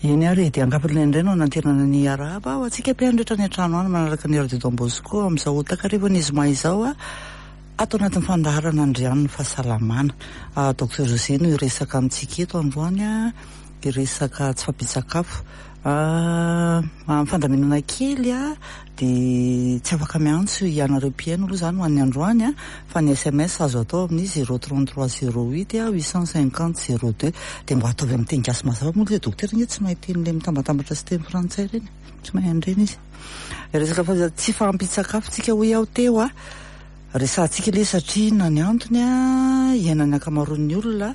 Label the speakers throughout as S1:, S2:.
S1: Eny ary e, dia ankapobeny indray no anantenana ny hiarahaba ho antsika mpihaino rehetra any an-trano any manaraka ny Radio Don Bosco amin'izao takarivan'ny zoma izao ato anatin'ny fandaharana Andrianin'ny fahasalamana. Docteur José no hiresaka amintsika eto androany hiresaka tsy fahampian-tsakafo. Amin'ny fandaminana kely dia tsy afaka miantso ianareo mpihaino aloha izany ho an'ny androany fa ny sms azo atao amin'ny 033 08 850 02. Dia mba ataovy amin'ny teny gasy mazava moa ilay dokotera ange tsy mahay teny ilay mitambatambatra sy teny frantsay ireny, tsy mahay an'ireny izy. Resaka fa tsy fahampian-tsakafo tsika hoy aho teo a, resahantsika ilay satria inona ny antony a, iainan'ny ankamaroan'ny olona.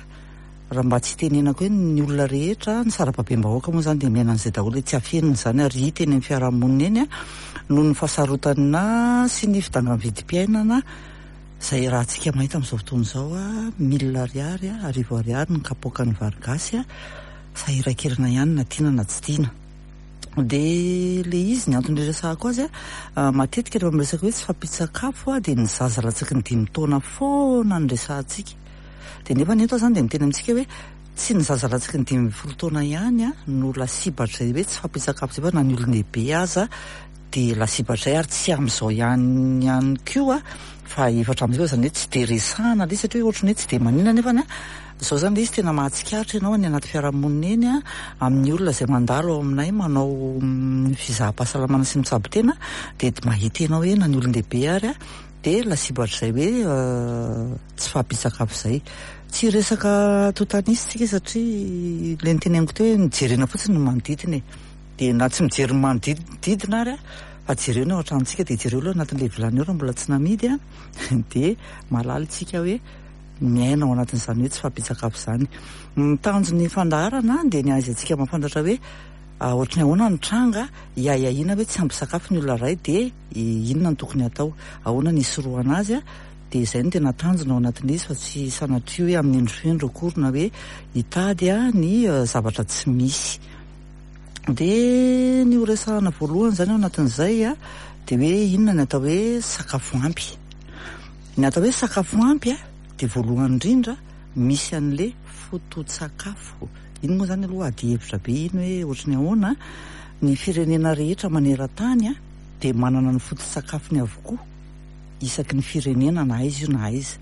S1: Raha mba tsy itenenako hoe ny olona rehetra, ny sarababem-bahoaka moa izany dia miaina an'izay daholo e, tsy afenina izany ary hita eny amin'ny fiarahamonina eny noho ny fahasarotana sy ny fidangan'ny vidim-piainana izay iarahantsika mahita amin'izao fotoana izao, mille ariary, arivo ariary ny kapoakan'ny vary gasy, sahirankirana ihany na tiana na tsy tiana. Dia ilay izy, ny antony iresahako azy, matetika rehefa miresaka hoe tsy fahampian-tsakafo dia ny zaza latsaky ny dimy taona foana no resahantsika. Dia nefa ny eto aho izany dia miteny amintsika hoe tsy ny zaza latsaky ny 15 taona ihany no lasibatr'izay hoe tsy fahampian-tsakafo izay fa na ny olon-dehibe aza dia lasibatr'izay ary tsy amin'izao ihany ihany koa fa efa hatramin'izay fa izany hoe tsy dia resahana ilay izy satria ohatran'ny hoe tsy dia maninona nefa izao izany ilay izy tena mahatsikaritra ianao any anaty fiarahamonina eny amin'ny olona izay mandalo ao aminay manao fizaham-pahasalamana sy mitsabo tena dia mahita ianao hoe na ny olon-dehibe ary dia lasibatr'izay hoe tsy fahampian-tsakafo izay. Tsy hiresaka antontan'isa isika satria ilay noteneniko teo hoe ny jerena fotsiny ny manodidina e. Dia na tsy mijery ny manodidina ary fa jereo ny ao an-tranontsika dia jereo aloha anatin'ilay vilany ao raha mbola tsy namidy an, dia mahalala isika hoe miaina ao anatin'izany hoe tsy fahampian-tsakafo izany. Ny tanjon'ny fandaharana dia ny ahaizantsika mahafantatra hoe ohatry ny ahoana ny tranga, hiahiahiana hoe tsy ampy sakafo ny olona iray dia inona no tokony hatao, ahoana ny hisorohana azy. Dia izay no tena tanjona ao anatin'ilay izy fa tsy sanatria hoe amin'ny endrifendro akory na hoe hitady ny zavatra tsy misy. Dia ny ho resahana voalohany izany ao anatin'izay dia hoe inona ny atao hoe sakafo ampy. Ny atao hoe sakafo ampy dia voalohany indrindra misy an'ilay foto-tsakafo. Iny moa izany aloha adihevitra be iny hoe ohatry ny ahoana. Ny firenena rehetra maneran-tany dia manana ny foto-tsakafony avokoa. isaky ny firenena na aiza io na aiza.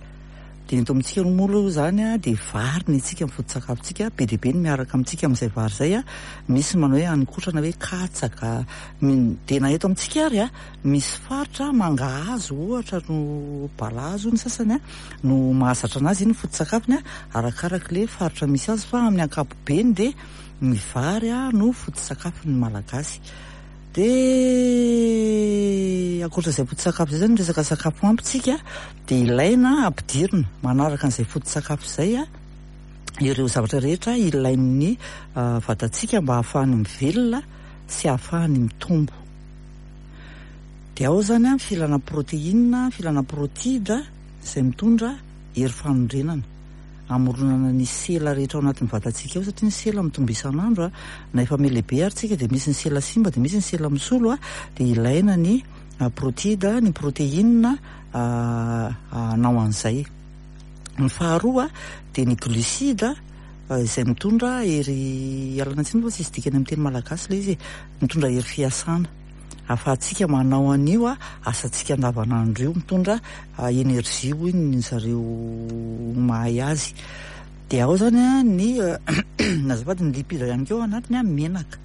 S1: Dia ny eto amintsika moa aloha izany dia vary ny antsika ny foto-tsakafontsika, be dia be ny miaraka amintsika amin'izay vary izay, misy ny manao hoe haninkotrana hoe katsaka, dia na eto amintsika ary misy faritra mangahazo ohatra no balahazo hoy ny sasany no mahazatra an'azy, iny ny foto-tsakafony arakaraka ilay faritra misy azy fa amin'ny ankapobeny dia ny vary no foto-tsakafon'ny Malagasy. Dia ankoatra izay foto-tsakafo izay izany, resaka sakafo ampy tsika dia ilaina ampidirina manaraka an'izay foto-tsakafo izay ireo zavatra rehetra ilain'ny vatantsika mba hahafahany mivelona sy hahafahany mitombo. Dia ao izany ny filana protéine, filana protide izay mitondra hery fanorenana. hamoronana ny sela rehetra ao anatin'ny vatantsika ao satria ny sela mitombo isan'andro a, na efa mihalehibe ary tsika dia misy ny sela simba dia misy ny sela misolo a, dia ilaina ny protide, ny protéine hanao an'izay. Ny faharoa dia ny glucide izay mitondra hery, ialana tsiny fa tsisy dikany amin'ny teny malagasy ilay izy e, mitondra hery fiasana. ahafahantsika manao an'io asantsika andavanandro io, mitondra énergie hoy ny zareo mahay azy. Dia ao zany ny azafady ny lipide ihany koa ao anatiny menaka.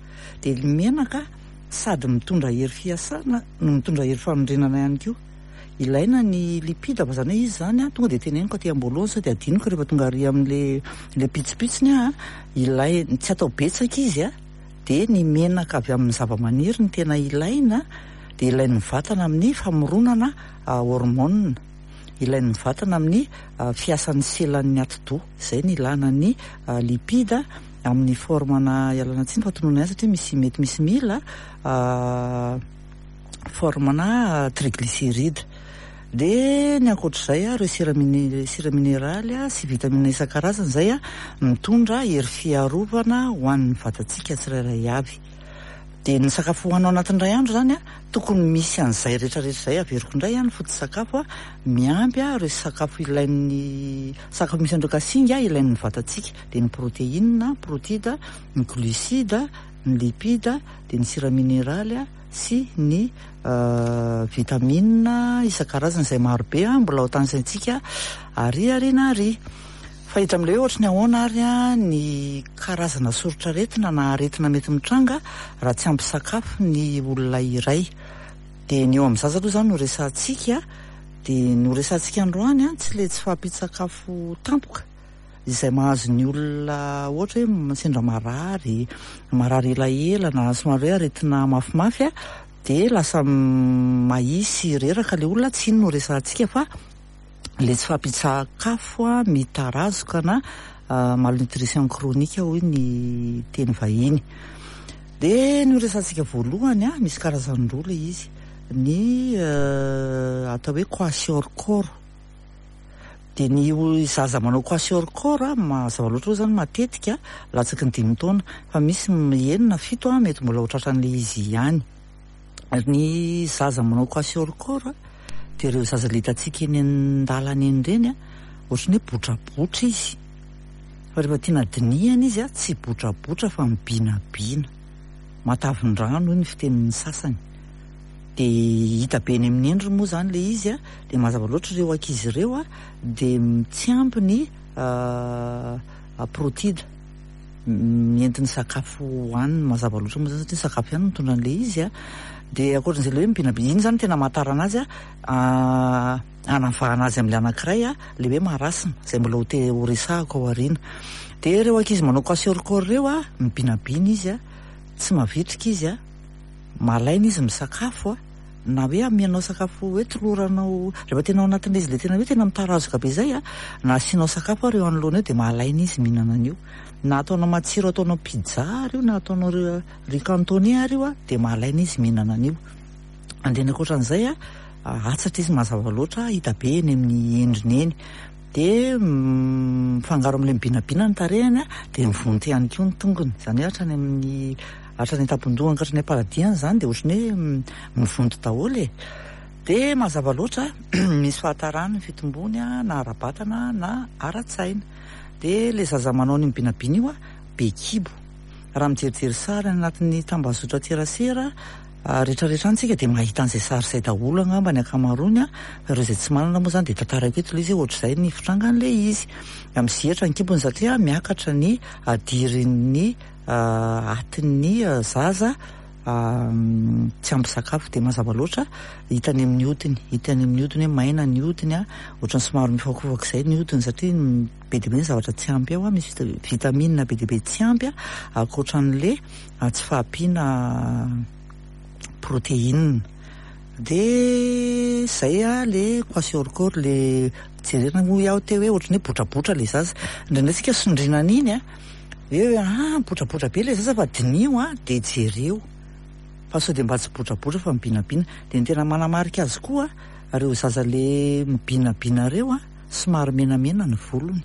S1: Dia ny menaka sady mitondra hery fiasana no mitondra hery fanorenana ihany koa. Ilaina ny lipide fa zany hoe izy zany tonga dia teneniko aty am-boalohany sao dia adinoko rehefa tonga ary amin'le le pitsopitsony aho, ilay tsy atao betsaka izy a. dia ny menaka avy amin'ny zavamaniry no tena ilaina, dia ilain'ny vatana amin'ny famoronana hormones, ilain'ny vatana amin'ny fiasan'ny selan'ny atidoha, izay no ilana ny lipide amin'ny forme-na, ialana tsiny fa tononina ihany satria misy mety misy mila, forme-na triglycéride. Dia ny ankoatr'izay, ireo sira sira mineraly sy vitamina isan-karazany izay mitondra hery fiarovana ho an'ny vatantsika tsirairay avy. Dia ny sakafo hohanina ao anatin'ny iray andro izany, tokony misy an'izay rehetra rehetra izay, averiko indray, ny foto-tsakafo miampy ireo sakafo ilain'ny, sakafo misy an'ireo kasinga ilain'ny vatantsika, dia ny protéine, protide, ny glucide. ny lipida, dia ny sira mineraly sy ny vitamina isan-karazany izay maro be mbola ho tanisaintsika ary aoriana ary. Fa hita amin'ilay hoe ohatry ny ahoana ary ny karazana soritr'aretina na aretina mety mitranga raha tsy ampy sakafo ny olona iray. Dia ny eo amin'ny zaza aloha izany no resahantsika, dia ny ho resahantsika androany tsy ilay tsy fahampian-tsakafo tampoka izay mahazo ny olona ohatra hoe sendra marary, marary elaela na somary hoe aretina mafimafy dia lasa mahia sy reraka ilay olona, tsy iny no resahantsika fa ilay tsy fahampian-tsakafo mitarazoka na malnutrition chronique hoy ny teny vahiny. Dia ny horesahantsika voalohany, misy karazany roa ilay izy, ny atao hoe kwashiorkor. Dia ny zaza manao kwashiorkor, mazava loatra aloha izany matetika latsaky ny dimy taona, fa misy enina, fito mety mbola ho tratran'ilay izy ihany. Ny zaza manao kwashiorkor dia ireo zaza ilay hitantsika eny an-dalana eny ireny, ohatran'ny hoe botrabotra izy. Fa rehefa tiana dinihana izy tsy botrabotra fa mibinabina. Matavin-drano hoy ny fitenin'ny sasany. Dia hita be eny amin'ny endriny moa izany ilay izy, dia mazava loatra ireo ankizy ireo dia tsy ampy ny protida entin'ny sakafo hohaniny, mazava loatra moa izany satria ny sakafo ihany no mitondra an'ilay izy. Dia ankoatran'izay ilay hoe mibinabina, iny izany no tena amantarana azy hanavahana azy amin'ilay anankiray, ilay hoe marasme, izay mbola ho te ho resahako ao aoriana. Dia ireo ankizy manao kwashiorkor ireo, mibinabina izy, tsy mavitrika izy, malaina izy misakafo, na hoe amianao sakafo hoe toloranao, rehefa tena ao anatin'ilay izy ilay tena hoe tena mitarazoka be izay, na asianao sakafo ary eo anoloana eo dia malaina izy mihinana an'io. Na ataonao matsiro ataonao pizza ary io, na ataonao riz cantonais ary io, dia malaina izy mihinana an'io. Dia ny ankoatran'izay, atsatra izy mazava loatra, hita be eny amin'ny endriny eny. Dia mifangaro amin'ilay mibinabina ny tarehiny, dia mivonto ihany koa ny tongony. Izany hoe hatrany amin'ny hatrany an-tampon-dohany ka hatrany am-paradihany izany dia ohatran'ny hoe mivonto daholo e. Dia mazava loatra, misy fahatarany ny fitombony na ara-batana na ara-tsaina. Dia ilay zaza manao an'io mibinabina io, be kibo. Raha mijerijery sary any anatin'ny tambazotran-tserasera rehetrarehetra any tsika dia mahita an'izay sary izay daholo angamba ny ankamaroany, fa ireo izay tsy manana moa izany dia tantaraiko eto ilay izy hoe ohatr'izay ny fitrangan'ilay izy. Mizihatra ny kibony satria miakatra ny hadirin'ny atin'ny zaza tsy ampy sakafo, dia mazava loatra hita any amin'ny hodiny, hita any amin'ny hodiny hoe maina ny hodiny, ohatran'ny somary mifakofaka izay ny hodiny satria be dia be ny zavatra tsy ampy ao, misy vitamine be dia be tsy ampy ankoatran'ilay tsy fahampiana protéine. Dia izay le kwashiorkor, le jerena hoy aho teo hoe ohatran'ny hoe botrabotra ilay zaza. Indraindray isika sondriana an'iny an, hoe ah botrabotra be ilay zaza fa diniho an, dia jereo fa sao dia mba tsy botrabotra fa mibinabina. Dia ny tena manamarika azy koa, ireo zaza le mibinabina ireo an, somary menamena ny volony.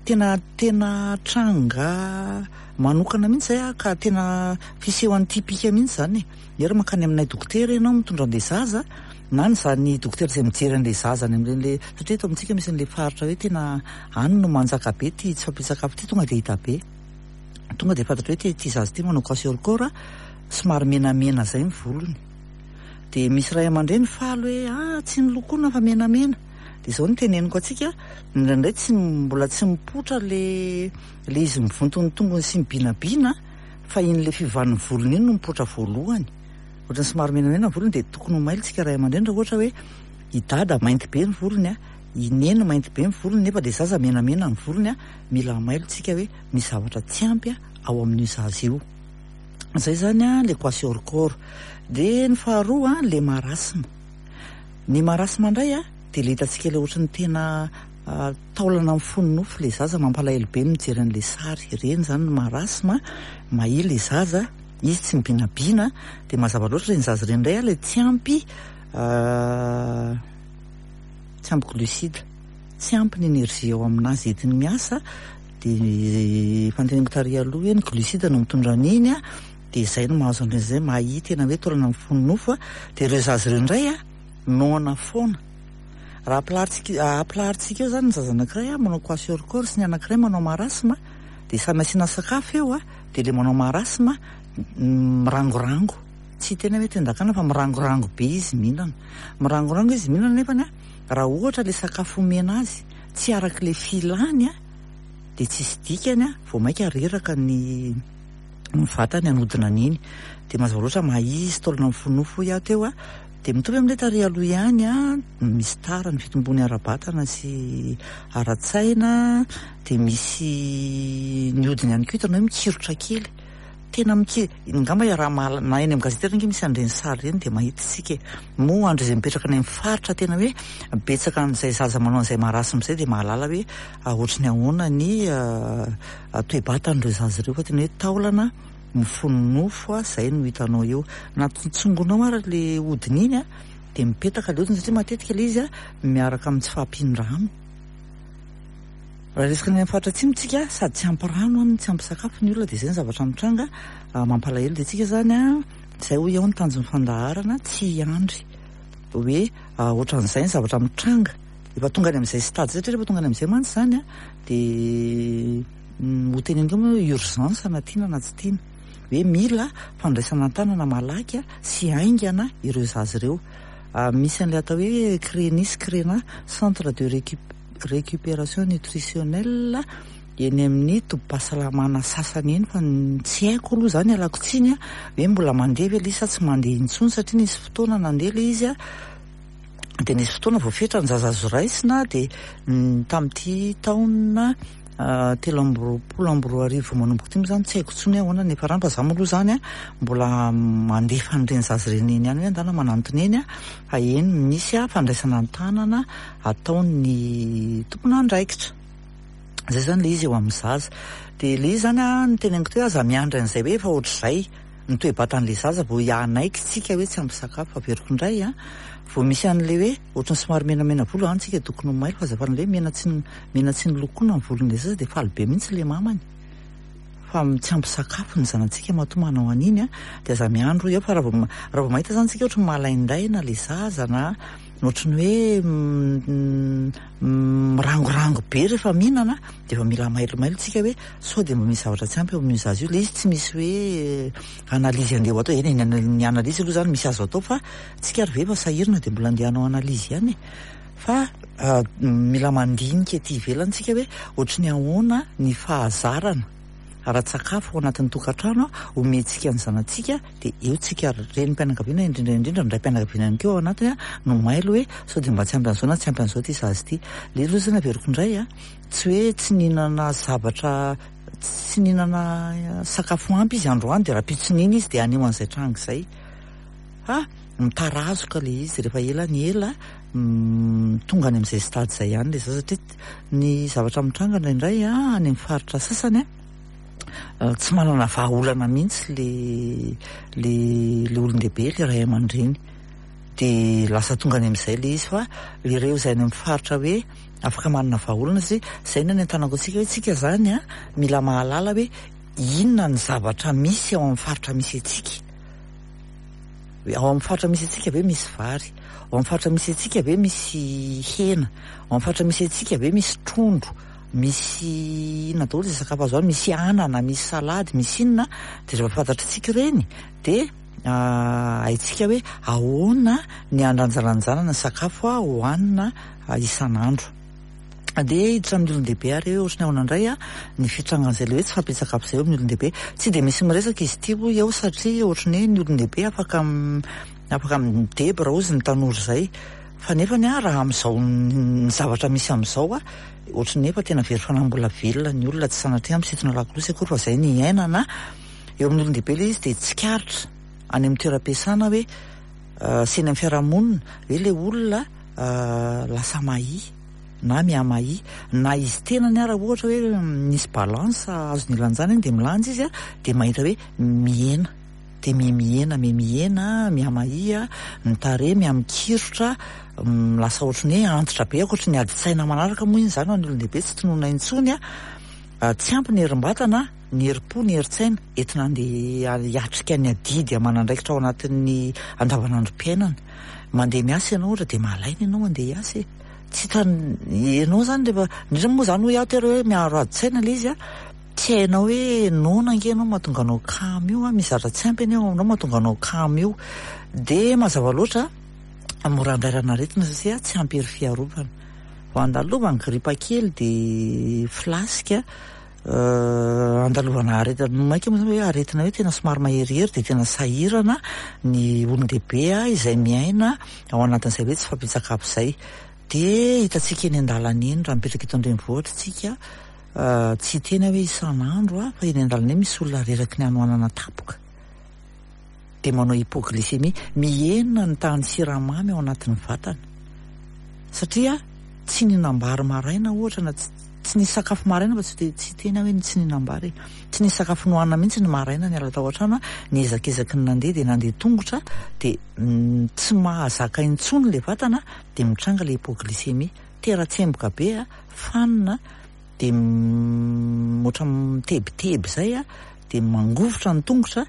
S1: Tena tena tranga manokana mihitsy izay an, ka tena fisehoan'ny typique mihitsy izany e. Nery mankany aminay dokotera ianao mitondra an'ilay zaza, na ny za-, ny dokotera izay mijery an'ilay zaza any amin'ireny le, satria eto amintsika misy an'ilay faritra hoe tena any no manjaka be ity tsy fahampian-tsakafo ity, tonga dia hita be. Tonga dia fantatra hoe ity, ity zaza ity manao kwashiorkor, somary menamena izay ny volony. Dia misy ray aman-dreny faly hoe ah tsy nolokoina fa menamena. Dia izao no teneniko antsika, indraindray tsy mbola tsy mipoitra le le izy mivonto ny tongony sy mibinabina fa iny le fiovan'ny volony iny no mipoitra voalohany. Ohatran'ny somary menamena ny volony dia tokony ho mailo tsika ray aman-dreny raha ohatra hoe i dada mainty be ny volony, i neny mainty be ny volony nefa le zaza menamena ny volony, mila mailo tsika hoe misy zavatra tsy ampy ao amin'io zaza io. Izay izany le kwashiorkor. Dia ny faharoa le marasme. Ny marasme indray dia ilay hitantsika ilay ohatran'ny tena taolana mifono nofo ilay zaza, mampalahelo be mijery an'ilay sary. Ireny izany ny marasme, mahia ilay zaza, izy tsy mibinabina, dia mazava loatra ireny zaza ireny indray ilay tsy ampy tsy ampy glucide, tsy ampy ny énergie ao aminazy entiny miasa, dia efa noteneniko tary aloha hoe ny glucide no mitondra an'iny, dia izay no mahazo an'ireny izay mahia tena hoe taolana mifono nofo, dia ireo zaza ireo indray noana foana. Raha ampilaharintsika ampilaharintsika eo izany ny zaza anankiray manao kwashiorkor sy ny anankiray manao marasme, dia samy asiana sakafo eo, dia ilay manao marasme mirangorango, tsy hiteny aho hoe tendakana fa mirangorango be izy mihinana. Mirangorango izy mihinana nefany a, raha ohatra ilay sakafo omena azy tsy araka ilay filany a, dia tsisy dikany a, vao mainka reraka ny ny vatany hanodina an'iny. Dia mazava loatra mahia izy, taolana mifonofo hoy aho teo a. Dia mitovy amin'ilay tary aloha ihany a, misy tara ny fitombony ara-batana sy ara-tsaina, dia misy ny hodiny ihany koa hitanao hoe mikirotra kely. Tena miki-, angamba iaraha-mahalala, na eny amin'ny gazety ary ange misy an'ireny sary ireny dia mahita isika e. Moa ho an'ireo izay mipetraka any amin'ny faritra tena hoe betsaka an'izay zaza manao an'izay marasme izay dia mahalala hoe ohatry ny ahoana ny toe-batan'ireo zaza ireo fa tena hoe taolana mifono nofo izay no hitanao eo. Na tsongonao ary ilay hodiny iny dia mipetaka ilay hodiny satria matetika ilay izy miaraka amin'ny tsy fahampian-drano. Raha resaka ny any amin'ny faritra atsimo tsika sady tsy ampy rano any no tsy ampy sakafo ny olona dia izay ny zavatra mitranga mampalahelo dia tsika izany izay hoy aho ny tanjon'ny fandaharana tsy hiandry hoe ohatran'izay ny zavatra mitranga efa tonga any amin'izay stade izay satria rehefa tonga any amin'izay mantsy izany dia ho teneniko hoe urgence na tiana na tsy tiana hoe mila fandraisana an-tanana malaky sy haingana ireo zaza ireo. Misy an'ilay atao hoe CRENI sy CRENA, Centre de Récupération Nutritionnelle, eny amin'ny tobim-pahasalamana sasany eny fa tsy haiko aloha izany, ialako tsiny a, hoe mbola mandeha ve ilay izy sa tsy mandeha intsony satria nisy fotoana nandeha ilay izy a, dia nisy fotoana voafetra ny zaza azo raisina dia tamin'ity taona 2023 manomboka ity moa izany tsy haiko intsony hoe ahoana ny niafarany fa za moa aloha izany a mbola mandefa an'ireny zaza ireny eny ihany hoe andana manantona eny a fa eny misy a fandraisana an-tanana ataon'ny tompon'andraikitra. Izay izany ilay izy eo amin'ny zaza. Dia ilay izy izany a ny teneniko teo hoe aza miandry an'izay hoe efa ohatr'izay ny toe-batan'ilay zaza vao hanaiky tsika hoe tsy ampy sakafo. Averiko indray a, vao misy an'ilay hoe ohatran'ny somary menamena volo any tsika tokony ho mailo fa aza faly hoe mena tsy mena tsy nolokoina ny volon'ilay zaza dia faly be mihitsy ilay mamany fa tsy ampy sakafo ny zanatsika matoa manao an'iny a, dia aza miandry hoy aho fa raha vao raha vao mahita izany tsika ohatran'ny malaindaina ilay zaza na ohatran'ny hoe mirangorango be rehefa mihinana dia efa mila mailomailo tsika hoe sao dia mba misy zavatra tsy ampy eo amin'io zaza io. Ilay izy tsy misy hoe analyse andeha ho atao, eny e, ny analyse aloha izany misy azo atao fa tsika ary ve efa sahirana dia mbola andeha hanao analyse ihany e. Fa mila mandinika ety ivelany tsika hoe ohatry ny ahoana ny fahazarana ara-tsakafo ao anatin'ny tokantrano omentsika ny zanatsika dia eo tsika renim-pianakaviana indrindra indrindra ny raim-pianakaviana ihany koa ao anatiny no mailo hoe sao dia mba tsy ampy an'izao na tsy ampy an'izao ity zaza ity. Ilay aloha izany averiko indray a, tsy hoe tsy nihinana zavatra tsy nihinana sakafo ampy izy androany dia rahampitso nihina izy dia haneho an'izay tranga izay. Fa mitarazoka ilay izy rehefa ela ny ela tonga any amin'izay stade izay ihany ilay zaza satria ny zavatra mitranga indraindray any amin'ny faritra sasany tsy manana vahaolana mihitsy le le le olon-dehibe le ray aman-dreny dia lasa tonga any amin'izay ilay izy fa ireo izay any amin'ny faritra hoe afaka manana vahaolana satria izay no anentanako antsika hoe tsika izany a mila mahalala hoe inona ny zavatra misy ao amin'ny faritra misy antsika. Hoe ao amin'ny faritra misy antsika ve misy vary? Ao amin'ny faritra misy antsika ve misy hena? Ao amin'ny faritra misy antsika ve misy trondro? Misy inona daholo izay sakafo azo any? Misy anana, misy salady, misy inona? Dia rehefa fantatr'tsika ireny dia haintsika hoe ahoana ny handanjalanjana ny sakafo hohanina isan'andro. Andeha hiditra amin'ny olon-dehibe ary hoe ohatry ny ahoana indray ny fitrangan'izay ilay hoe tsy fahampian-tsakafo izay eo amin'ny olon-dehibe. Tsy dia misy miresaka izy ity hoy aho satria ohatry ny hoe ny olon-dehibe afaka afaka midebra hozy ny tanora izay. Fa nefany raha amin'izao ny zavatra misy amin'izao ohatry ny efa tena very fanahy mbola velona ny olona, tsy sanatria misintona lakolosy akory fa izay ny iainana. Eo amin'ny olon-dehibe ilay izy dia tsikaritra any amin'ny toeram-piasana hoe sy eny amin'ny fiarahamonina hoe ilay olona lasa mahia na mihamahia na izy tenany ara ohatra hoe misy balance azony ilanjana iny dia milanja izy dia mahita hoe mihena dia mihemihena mihemihena mihamahia ny tarehy mihamikirotra lasa ohatry ny hoe antitra be ankoatry ny adin-tsaina manaraka moa iny izany ho an'ny olon-dehibe tsy tononina intsony tsy ampy ny herim-batana ny herim-po ny herin-tsaina entina andeha hiatrika ny adidy aman'andraikitra ao anatin'ny andavanandrom-piainana. Mandeha miasa ianao ohatra dia malaina ianao handeha hiasa e. Tsy hitan'ny ianao izany rehefa, indrindra moa izany hoy aho tery hoe miaro adin-tsaina ilay izy a, Tsy hainao hoe noana ange ianao mahatonga anao kamo io an, misy zavatra tsy ampy anie ao aminao mahatonga anao kamo io. Dia mazava loatra, mora andrairana aretina satria tsy ampy hery fiarovana. Vao andalovany gripa kely dia flasque, andalovana aretina, mainka moa zany hoe aretina hoe tena somary maherihery dia tena sahirana ny olon-dehibe izay miaina ao anatin'izay hoe tsy fahampian-tsakafo izay. Dia hitantsika eny an-dalana eny raha mipetraka eto an-drenivohitra isika, tsy hiteny aho hoe isan'andro fa eny an-dalana eny misy olona reraky ny hanoanana tampoka. Dia manao hypoglycémie, mihena ny tahan'ny siramamy ao anatin'ny vatana. Satria tsy nihinam-bary maraina ohatra na tsy nisy sakafo maraina fa tsy dia tsy hiteny aho hoe tsy nihinam-bary e. Tsy nisy sakafo nohanina mihitsy ny maraina niala tao an-trano, niezakezaky ny nandeha dia nandeha tongotra dia tsy mahazaka intsony ilay vatana dia mitranga ilay hypoglycémie. Tera-tsemboka be, fanina, dia ohatran'ny mitebiteby izay, dia mangovitra ny tongotra,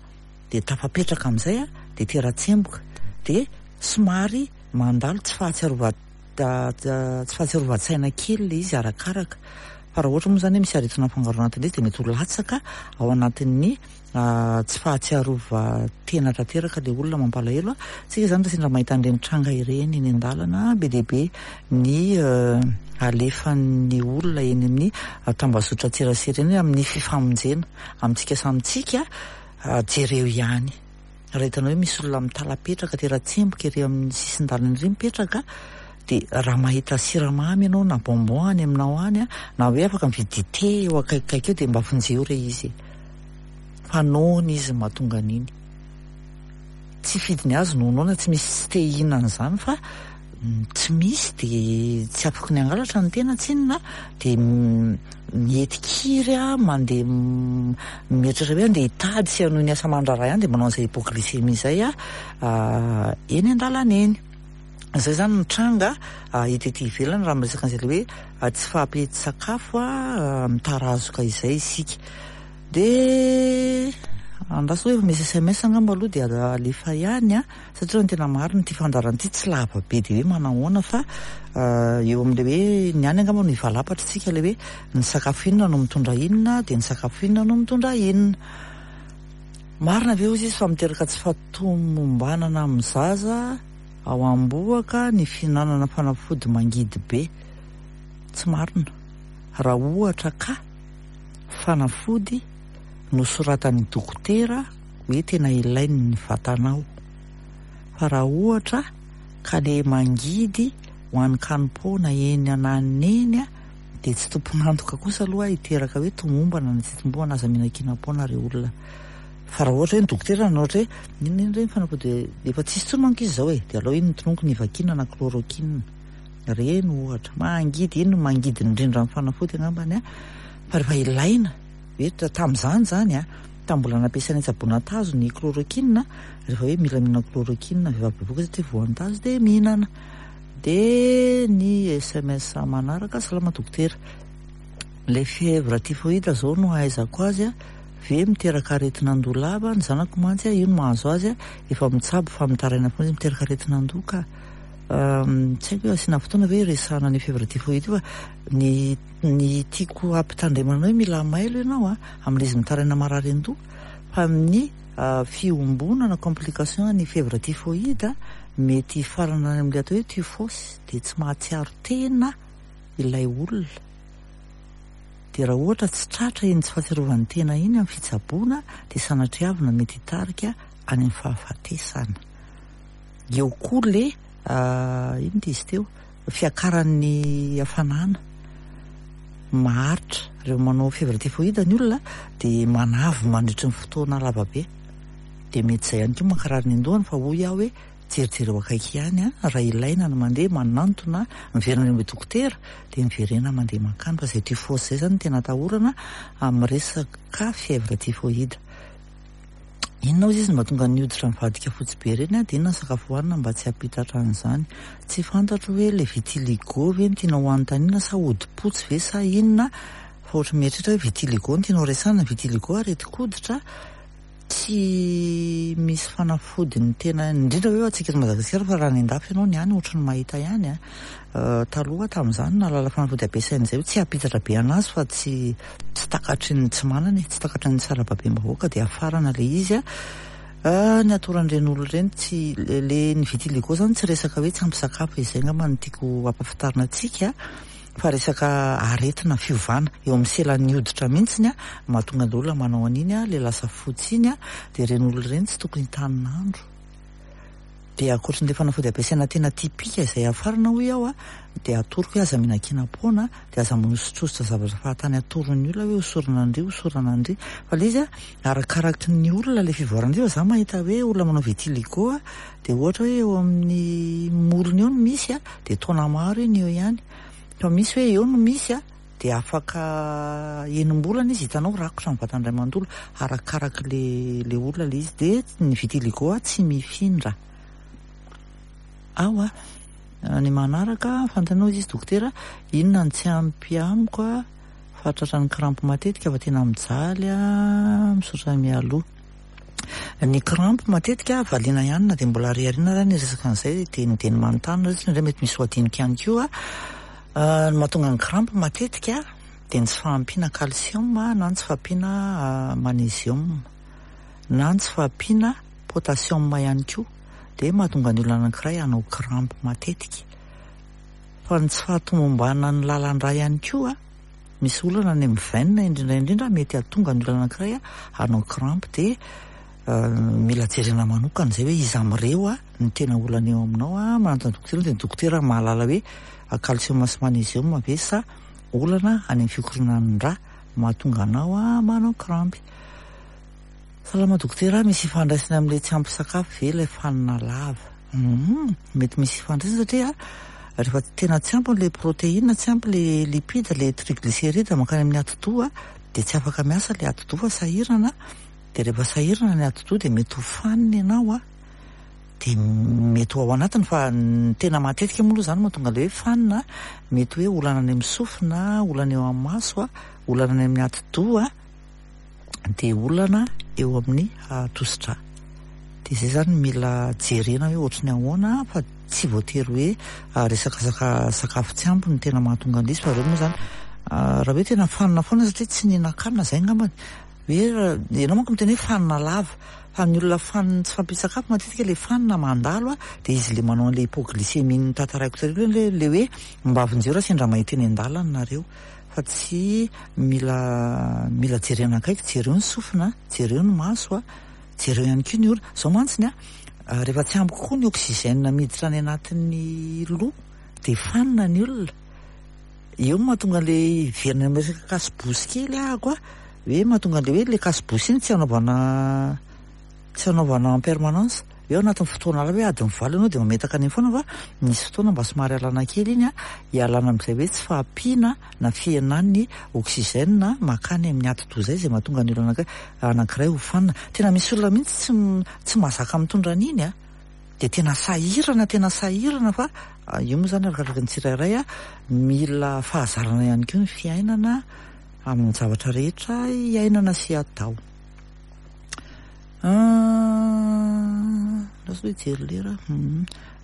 S1: dia tafapetraka amin'izay dia tera-tsemboka. Dia somary mandalo tsy fahatsiarova- tsy fahatsiarovan-tsaina kely ilay izy arakaraka. Fa raha ohatra moa izany hoe misy aretina mifangaro anatin'ilay izy dia mety ho latsaka ao anatin'ny tsy fahatsiarovan-tena tanteraka ilay olona mampalahelo a. Tsika izany raha sendra mahita an'ireny tranga ireny eny an-dalana, be dia be ny alefan'ny olona eny amin'ny tambazotran-tserasera eny amin'ny fifamonjena amintsika samy tsika, jereo ihany. Raha hitanao hoe misy olona mitalapetraka tera-tsemboka ery amin'ny sisin-dalana ery mipetraka, dia raha mahita siramamy ianao na bonbon any aminao any, na hoe afaka mividy dite eo akaikikaiky eo dia mba vonjeo re izy e. Fa noana izy no mahatonga an'iny. Tsy fidiny azy no noana, tsy misy tsy te hihinana izany fa tsy misy dia tsy afaka ny hangalatra ny tena tsinona dia mihety kiry aho mandeha mieritreritra hoe andeha hitady sy hanohy ny asa aman-draharaha ihany dia manao an'izay hypoglycémie izay aho eny an-dalana eny. Izay izany ny tranga hita ety ivelany raha miresaka an'izay ilay hoe tsy fahampian-tsakafo mitarazoka izay isika. Dia andraso hoe efa misy sms angamba aloha dia alefa ihany an, satria raha ny tena marina ity fandaharana ity tsy lava be dia hoe manahoana fa eo amin'ilay hoe ny any angamba no hivalapatra isika ilay hoe ny sakafo inona no mitondra inona dia ny sakafo inona no mitondra inona. Marina ve hozy izy fa miteraka tsy fahatomombanana amin'ny zaza ao am-bohoka ny fihinanana fanafody mangidy be? Tsy marina. Raha ohatra ka. fanafody nosoratan'ny dokotera hoe tena ilain'ny vatanao. Fa raha ohatra ka le mangidy ho an'ny kanim-poana eny ananona eny dia tsy tompon'antoka kosa aloha hiteraka hoe tomombana na tsy tomombana, aza mihinan-kinam-poana re olona. Fa raha ohatra hoe ny dokotera nanao ohatra hoe inona iny ireny fanafody efa tsisy intsony manko izy izao e, dia alao iny ny tononiko nivakiana na chloroquine. Ireny ohatra. Mangidy, iny no mangidy indrindra amin'ny fanafody angambany an, fa rehefa ilaina, hoe tamin'izany izany an, tamin'ny mbola nampiasaina hitsaboana tazo ny chloroquine, rehefa hoe mila mihinana chloroquine vehivavy bevohoka satria voan'ny tazo dia mihinana. Dia ny sms manaraka, salama dokotera, ilay fièvre typhoïde izao no ahaizako azy an, ve miteraka aretin'andoha lava, ny zanako mantsy an, io no mahazo azy an, efa mitsabo fa mitaraina foana izy, miteraka aretin'andoha ka. Tsy haiko hoe asiana fotoana ve hiresahana an'io fièvre typhoïde io fa ny ny tiako hampitandremana hoe mila mailo ianao a, amin'ilay izy mitaraina marary an-doha fa amin'ny fiombonana complication ny fièvre typhoïde mety hifarana any amin'ilay atao hoe typhos dia tsy mahatsiaro tena ilay olona dia raha ohatra tsy tratra iny tsy fahatsiarovany tena iny amin'ny fitsaboana dia sanatriavina mety hitarika any amin'ny fahafatesana. Eo koa le inona ity izy teo, fiakaran'ny hafanana maharitra. Rehefa manao fièvre typhoïde ny olona dia manavy mandritry ny fotoana lava be. Dia mety izay ihany koa mankarary ny an-dohany fa hoy aho hoe jerijereo akaiky ihany an, raha ilaina ny mandeha manantona, miverina any amin'ny dokotera dia miverena mandeha mankany fa izay typhose izay izany no tena atahorana amin'ny resaka fièvre typhoïde. Inona hozy izy no mahatonga ny hoditra mivadika fotsy be ireny an? Dia inona ny sakafo hohanina mba tsy hampitatra an'izany? Tsy fantatro hoe ilay vitiligo ve no tianao hanontaniana sa hodi-potsy ve sa inona? Fa ohatry ny mieritreritra hoe vitiligo no tianao resahina, vitiligo aretin-koditra. Tsy misy fanafodiny tena, indrindra hoe antsika eto Madagasikara fa raha any an-dafy ianao ny any ohatry ny mahita ihany a. Taloha tamin'izany nahalala fanafody ampiasaina izay hoe tsy hampitatra be anazy fa tsy tsy takatry ny tsy manana e, tsy takatry ny sarababem-bahoaka dia afarana ilay izy a. Ny atoran'ireny olona ireny tsy le ny vitiligo izany tsy resaka hoe tsy ampy sakafo e, izay angamba no tiako hampahafantarina antsika. Fa resaka aretina fiovana eo amin'ny selan'ny hoditra mihitsiny mahatonga ny olona manao an'iny le lasa fotsy iny dia ireny olona ireny tsy tokony hitanin'andro. Dia ankoatran'ilay fanafody ampiasaina tena typique izay hafarana hoy aho dia atoroko hoe aza mihinan-kinam-poana dia aza manosotrosotra zavatra fahatany atoron'ny olona hoe hosorana an-dry hosorana an-dry fa ilay izy arakaraky ny olona ilay fivoarana io fa za mahita hoe olona manao vitiligo dia ohatra hoe eo amin'ny molony eo no misy dia taona maro iny eo ihany fa misy hoe eo no misy a dia afaka enim-bolana izy hitanao rakotra ny vatany iray manontolo arakaraky le le olona le izy dia ny vitiligo a tsy mifindra ao a ny manaraka fantanao izy dokotera inona no tsy ampy amiko a fa tratran'ny crampe matetika fa tena mijaly a misaotra mialoha. Ny crampe matetika valiana ihany na dia mbola ariariana ary ny resaka an'izay dia ny dia ny manontany nareo satria indraindray mety misy ho adinoko ihany koa. Ny mahatonga ny crampe matetika dia ny tsy fahampiana calcium na ny tsy fahampiana magnésium na ny tsy fahampiana potassium ihany koa dia mahatonga ny olona anankiray hanao crampe matetika. Fa ny tsy fahatomombanan'ny lalan-drà ihany koa. Misy olana any amin'ny veine indrindra indrindra mety hahatonga ny olona anankiray hanao crampe dia mila jerena manokana izay hoe iza amin'ireo no tena olana eo aminao. Manantona dokotera dia ny dokotera mahalala hoe calcium sy magnésium ve sa olana any amin'ny fikoronan'ny rà mahatonga anao manao crampe. Salama dokotera, misy ifandraisany amin'ilay tsy ampy sakafo ve ilay fanina lava? Humm, mety misy ifandraisany satria rehefa tena tsy ampy ilay protéine, tsy ampy ilay lipide, ilay triglycéride mankany amin'ny atidoha dia tsy afaka miasa ilay atidoha fa sahirana, dia rehefa sahirana ny atidoha dia mety ho fanina ianao an, dia mety ho ao anatiny fa ny tena matetika moa aloha izany mahatonga ilay hoe fanina, mety hoe olana any amin'ny sofina, olana eo amin'ny maso, olana any amin'ny atidoha. dia olana eo amin'ny tosi-drà. Dia izay izany mila jerena hoe ohatry ny ahoana fa tsy voatery hoe resaka saka sakafo tsy ampy no tena mahatonga an'ilay izy fa ireo moa izany raha hoe tena fanina foana satria tsy nihinan-kanina izay angambany. Hoe ianao manko miteny hoe fanina lava fa ny olona fanin'ny tsy fahampian-tsakafo matetika ilay fanina mandalo dia izy ilay manao an'ilay hypoglycémie notantaraiko tary aloha ilay hoe mba vonjeo raha sendra mahita eny an-dalana nareo. fa tsy mila mila jerena akaiky, jereo ny sofina, jereo ny maso a, jereo ihany koa ny orona, zao mantsiny a, rehefa tsy ampy kokoa ny oxygène miditra any anatin'ny loha dia fanina ny olona, eo no mahatonga an'le hiverina amin'ny resaka casse-bouche kely ahako a, hoe mahatonga an'le hoe le casse-bouche iny tsy anaovana Tsy anaovana en permanence, hoe ao anatin'ny fotoana iray hoe adiny valo ianao dia mametaka an'iny foana fa misy fotoana mba somary alana kely iny an, hialana amin'izay hoe tsy fahampiana na fihenan'ny oxygène mankany amin'ny atidoha izay, izay mahatonga ny olona anankiray ho fanina. Tena misy olona mihitsy tsy tsy mahazaka mitondra an'iny an, dia tena sahirana, tena sahirana fa io moa izany arakaraky ny tsirairay an, mila fahazarana ihany koa ny fiainana amin'ny zavatra rehetra iainana sy atao. Lasa hoe hijery lera aho.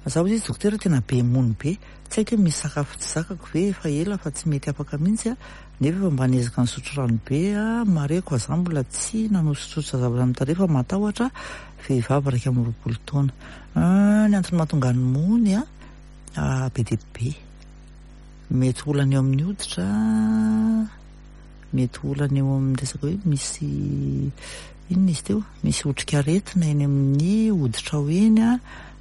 S1: Za hozy izy dokotera tena be mony be. Tsy haiko hoe misy sakafo tsy zakako ve efa ela fa tsy mety afaka mihitsy aho. Nefa efa mba niezaka nisotro rano be aho. Marihiko fa za mbola tsy nanosotrosotra zavatra amin'ny tarehy fa matahotra vehivavy 21 taona. Ny antony mahatonga ny mony be dia be. Mety olana eo amin'ny hoditra. Mety ho olana eo amin'ny resaka hoe misy inona izy teo? Misy otrikaretina eny amin'ny hoditrao eny an,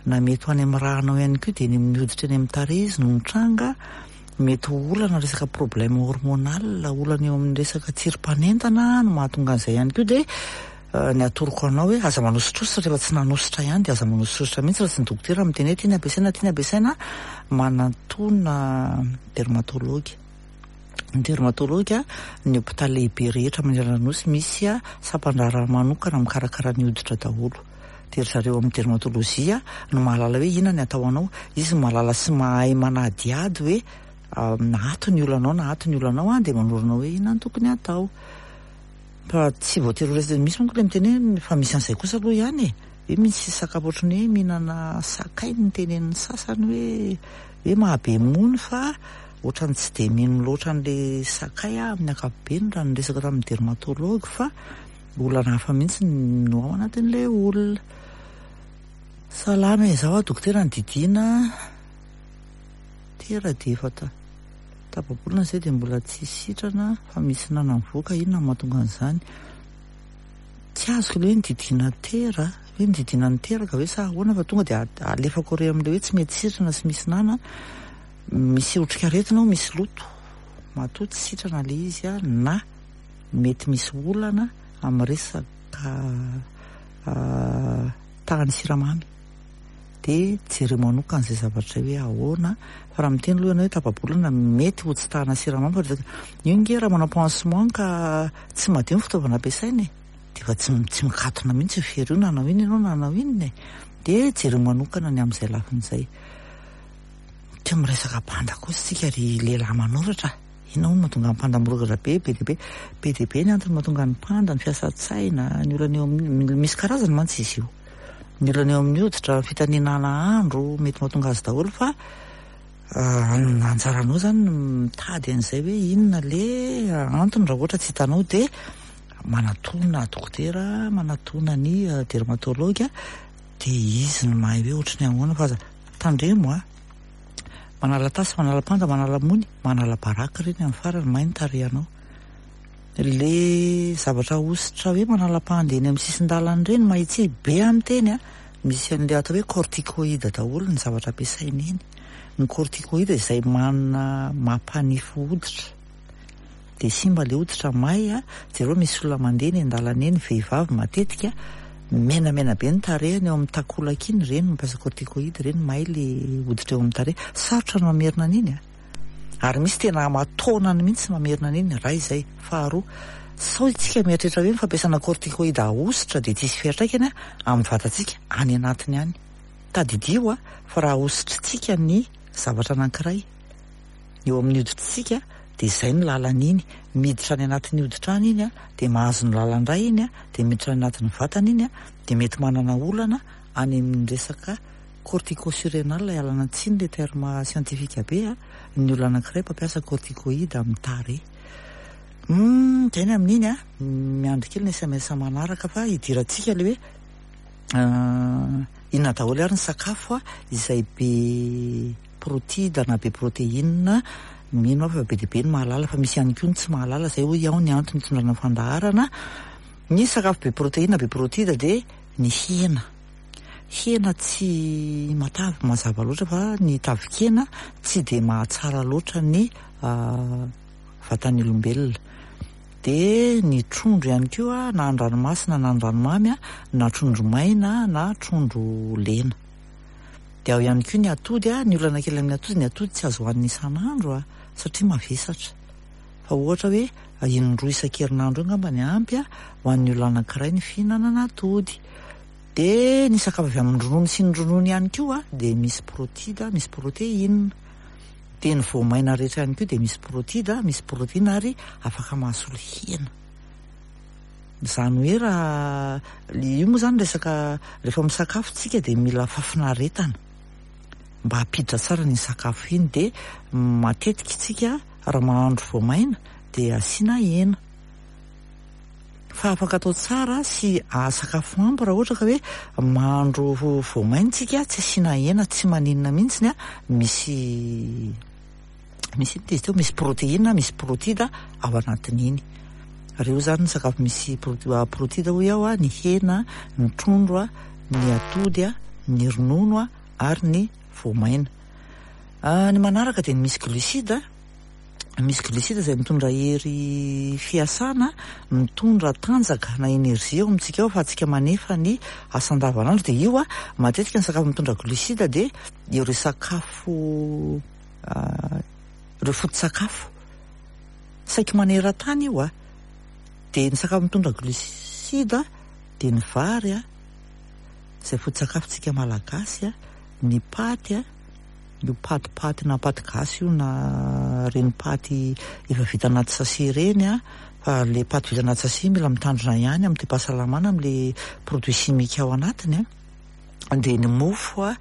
S1: na mety ho any amin'ny rànao ihany koa dia eny amin'ny hoditra eny amin'ny tarehy izy no mitranga. Mety ho olana resaka problème hormonal, olana eo amin'ny resaka tsirim-panentana no mahatonga an'izay ihany koa dia ny atoroko anao hoe aza manosotrosotra rehefa tsy nanosotra ihany dia aza manosotrosotra mihitsy raha tsy ny dokotera miteny hoe ity ny ampiasaina, ity ny ampiasaina, manatona dermatologue. Ny dermatologue, ny hopitaly lehibe rehetra manerana ny Nosy misy sampan-draharaha manokana mikarakara ny hoditra daholo. Dia ry zareo amin'ny dermatologie no mahalala hoe inona ny atao anao. Izy no mahalala sy mahay manadihady hoe na ato ny olanao na ato ny olanao dia manoro anao hoe inona no tokony hatao. Fa tsy voatery ho resaka, misy manko ilay miteny hoe fa misy an'izay kosa aloha ihany e! Hoe misy sakafo ohatran'ny hoe mihinana sakay no tenenin'ny sasany hoe hoe mahabe mony fa ohatran'ny tsy dia mino loatra an'ilay sakay aho amin'ny ankapobeny raha niresaka tamin'ny dermatologue fa olana hafa mihitsy no ao anatin'ilay olona. Salama e, izaho dokotera ny didiana tera dia efa tapa-bolana izay dia mbola tsy sitrana fa misy nana mivoaka, inona no mahatonga an'izany? Tsy azoko ilay hoe nididiana tera, hoe nididiana niteraka ve sa ahoana fa tonga dia alefako ery amin'ilay hoe tsy mety sitrana sy misy nana, misy otrikaretina ao, misy loto, matoa tsy sitrana ilay izy na mety misy olana amin'ny resaka tahan'ny siramamy. Dia jereo manokana izay zavatra izay hoe ahoana, fa raha miteny aloha ianao hoe tapa-bolana mety ho tsy tahana siramamy fa resaka, io ange raha manao pansement ka tsy madio ny fitaovana ampiasaina e, dia efa tsy tsy mikatona mihitsy io fery io na hanao inona ianao na hanao inona e, dia jereo manokana ny amin'izay lafiny izay. Tsy miresaka panda kosa isika ry lehilahy manoratra a! Inona hono no mahatonga ny panda mirongatra be, be dia be, be dia be ny antony mahatonga ny panda, ny fiasan-tsaina, ny olana eo amin'ny, misy karazany mantsy izy io. Ny olana eo amin'ny hoditra, ny fitaninana andro, mety mahatonga azy daholo fa anjaranao zany ny mitady an'izay hoe inona le antony raha ohatra tsy hitanao dia manatona dokotera, manatona ny dermatologue dia izy no mahay hoe ohatry ny ahoana fa aza tandremo a! Manala tasy, manala panda, manala mony, manala baraka ireny amin'ny farany, may ny tarehinao. Le zavatra ahosotra hoe manala mpandeha eny amin'ny sisin-dalana ireny mahitsy be amin'ny teny a, misy an'ilay atao hoe corticoïde daholo ny zavatra ampiasaina eny. Ny corticoïde izay manana mampanify hoditra dia simba ilay hoditra may a, jereo misy olona mandeha eny an-dalana eny, vehivavy matetika, menamena be ny tarehiny eo amin'ny takolaka iny, ireny mampiasa corticoïde ireny may ilay hoditra eo amin'ny tarehy, sarotra ny mamerina an'iny a. Ary misy tena aman-taonany mihitsy mamerina an'iny, iray izay. Faharoa, sao isika mieritreritra hoe ny fampiasana corticoïde ahosotra dia tsy hisy fiantraikany amin'ny vatantsika any anatiny any. Tadidio fa raha ahosotritsika ny zavatra anankiray eo amin'ny hoditsika dia izay no lalan'iny, miditra any anatin'ny hoditra any iny dia mahazo ny lalan-dra iny dia miditra any anatin'ny vatana iny dia mety manana olana any amin'ny resaka Corticosurrénal, ialana tsiny le terme scientifique be a, ny olona anankiray mpampiasa corticoïde amin'ny tarehy. Humm, zay ny amin'iny a, miandry kely ny sms manaraka fa hidirantsika le hoe inona daholo ary ny sakafo izay be protide na be protéine, mino aho fa be dia be ny mahalala fa misy ihany koa ny tsy mahalala, zay hoy aho ny antony itondrana fandaharana, ny sakafo be protéine be protide dia ny hena. Hena tsy matavy mazava loatra fa ny tavin-kena tsy dia mahatsara loatra ny vatan'ny olombelona. Dia ny trondro ihany koa na an-dranomasina na an-dranomamy na trondro maina na trondro lena. Dia ao ihany koa ny atody, ny olana kely amin'ny atody, ny atody tsy azo hohanina isan'andro satria mavesatra. Fa ohatra hoe indroa isan-kerinandro eo angamba ny ampy ho an'ny olona anankiray ny fihinanana atody. Dia ny sakafo avy amin'ny ronono sy ny ronono ihany koa dia misy protida, misy protéine. Dia ny voamaina rehetra ihany koa dia misy protida, misy protéine ary afaka mahasolo hena. Izany hoe raha io moa izany resaka rehefa misakafo tsika dia mila fahafinaretana mba hampiditra tsara ny sakafo iny dia matetika tsika raha mahandro voamaina dia asiana hena. Fa afaka atao tsara sy sakafo ampy raha ohatra ka hoe mahandro voamaina tsika tsy asiana hena tsy maninona mihitsy a, misy misy inona izy teo, misy protéine, misy protida ao anatin'iny. Ireo izany ny sakafo misy protida hoy aho a, ny hena, ny trondro a, ny atody a, ny ronono a ary ny voamaina. Ny manaraka dia ny misy glucide. Misy glucide izay mitondra hery fiasana, mitondra tanjaka na énergie ao amintsika ao ahafahantsika manefa ny asa andavanandro. Dia io matetika ny sakafo mitondra glucide dia ireo sakafo ireo foto-tsakafo saiky maneran-tany io. Dia ny sakafo mitondra glucide dia ny vary izay foto-tsakafontsika malagasy, ny paty. Io paty paty na paty gasy io na ireny paty efa vita anaty sachet ireny an, Fa le paty vita anaty sachet mila mitandrina ihany amin'ny toe-pahasalamana amin'le produit chimique ao anatiny a. Dia ny mofo a,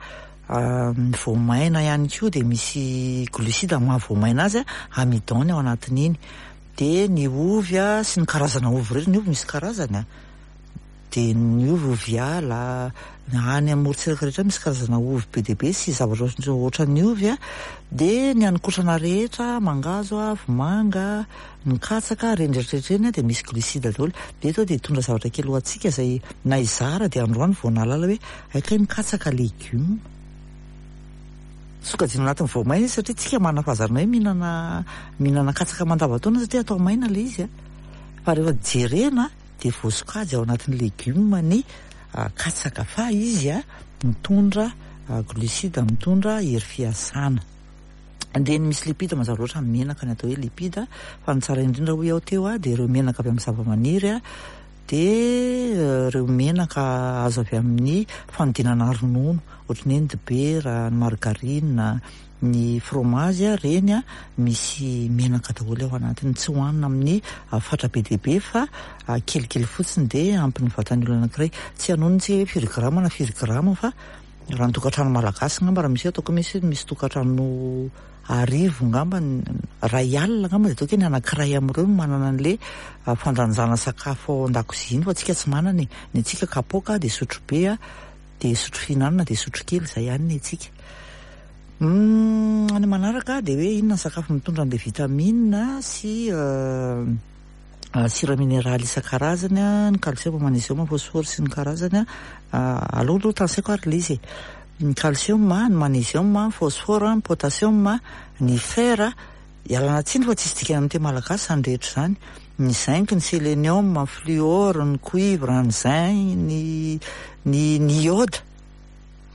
S1: ny voamaina ihany koa dia misy glucide amin'ny maha voamaina azy a, amidon ny ao anatin'iny. Dia ny ovy a sy ny karazana ovy rehetra, ny ovy misy karazany a. Dia ny ovy, ovy ala, any amorontsiraka rehetra misy karazana ovy be dia be sy zavatra ohatran'ny ovy a. Dia ny haninkotrana rehetra, mangahazo a, vomanga, ny katsaka, ireny rehetra rehetra ireny dia misy glucide daholo. Dia eto aho dia hitondra zavatra kely ho antsika izay na hizara dia androany vao nahalala hoe hay kay ny katsaka legioma. Sokajiana anatin'ny voamaina izy satria tsika manana fahazarana hoe mihinana mihinana katsaka mandavantaona satria atao maina ilay izy a. Fa rehefa jerena dia voasokajy ao anatin'ny legioma ny katsaka fa izy mitondra glucide, mitondra hery fiasana. Dia ny misy lipide mazava loatra ny menaka ny atao hoe lipide fa ny tsara indrindra hoy aho teo dia ireo menaka avy amin'ny zavamaniry dia ireo menaka azo avy amin'ny fanodinana ronono ohatran'ny hoe ny dibera, ny margarine, Ny fromage ireny misy menaka daholo ao anatiny, tsy hohanina amin'ny fatra be dia be fa kelikely fotsiny dia ampy ny vatan'ny olona anankiray. Tsy hanonona isika hoe firy grama na firy grama fa raha ny tokantrano malagasy angamba raha misy hoe ataoko misy misy tokantrano arivo angamba iray alina angamba dia ataoko hoe ny anankiray amin'ireo no manana an'ilay fandanjana sakafo ao an-dakozia iny fa antsika tsy manana e. Ny antsika kapoaka dia sotrobe dia sotro fihinanana dia sotro kely izay ihany ny antsika. Ny manaraka dia hoe inona ny sakafo mitondra an'ilay vitamine sy sira mineraly isan-karazany, ny calcium, magnésium, phosphore sy ny karazany. Aleo aloha tanisaiko ary ilay izy e. Ny calcium, ny magnésium, ny phosphore, ny potassium, ny fer, ialana tsiny fa tsisy dikany amin'ny teny malagasy izany rehetra izany. Ny zinc, ny sélénium, ny fluor, ny cuivre, ny zinc, ny ny ny iode.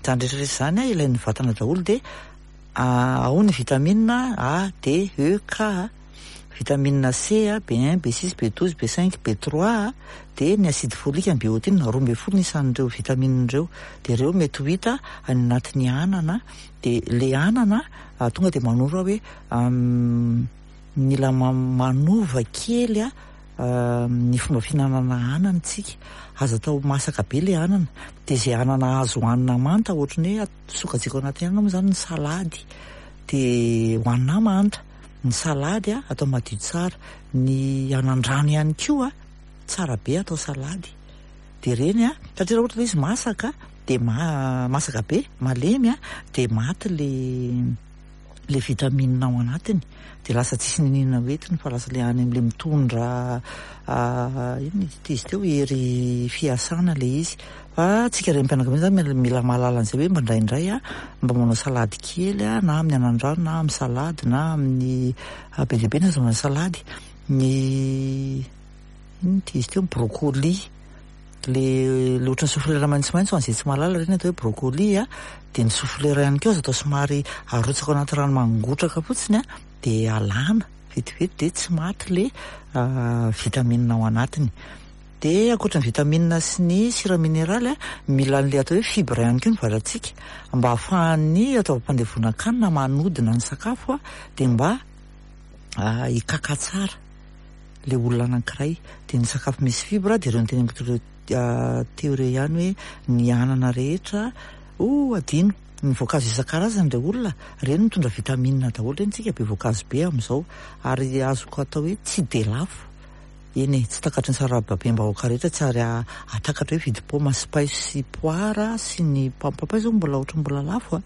S1: Izany rehetra rehetra izany an, ilain'ny vatana daholo dia ao ny vitamine A, D, E, K, vitamine C, B1, B6, B12, B5, B3, dia ny acide folique, ny biotine, 12 ny isan'ireo vitamine ireo. Dia ireo mety ho hita any anatin'ny anana. Dia ilay anana tonga dia manoro aho hoe mila manova kely ny fomba fihinanana anana isika. Aza atao masaka be ilay anana. Dia izay anana azo hohanina manta ohatran'ny hoe sokajiako anatin'ny anana moa izany ny salady. Dia hohanina manta. Ny salady atao madio tsara. Ny anandrano ihany koa tsara be atao salady. Dia ireny satria raha ohatra ilay izy masaka dia masaka be, malemy dia maty ilay le vitamine ao anatiny dia lasa tsisy niniana hoentiny fa lasa le any amin'le mitondra inona izy ity izy teo hery fiasana le izy fa tsika renim-pianakaviana zany mila mahalala an'izay hoe mba indraindray a mba manao salady kely a na amin'ny anandrano na amin'ny salady na amin'ny be dia be ny azahoana salady ny inona ity izy teo brocoli Le le ohatran'ny soflera maitsomaitso ho an'izay tsy mahalala ireny atao hoe brocoli a, dia ny soflera ihany koa azo atao somary arotsaka ao anaty rano mangotraka fotsiny a, dia alana vetivety dia tsy maty le vitamine ao anatiny. Dia ankoatra ny vitamine sy ny sira mineraly a, mila an'le atao hoe fibre ihany koa ny vatantsika mba ahafahan'ny taovam-pandevonan-kanina manodina ny sakafo a, dia mba hikaka tsara. le olona anankiray dia ny sakafo misy fibre dia ireo noteneniko teo teo ireo ihany hoe ny anana rehetra oh adino ny voankazo isan-karazany re olona ireny mitondra vitamine daholo ireny tsika be voankazo be amin'izao ary azoko atao hoe tsy dia lafo eny e tsy takatry ny sarababem-bahoaka rehetra tsy ary atakatra hoe vidy paoma sy paiso sy poara sy ny papay zao mbola ohatry mbola lafo a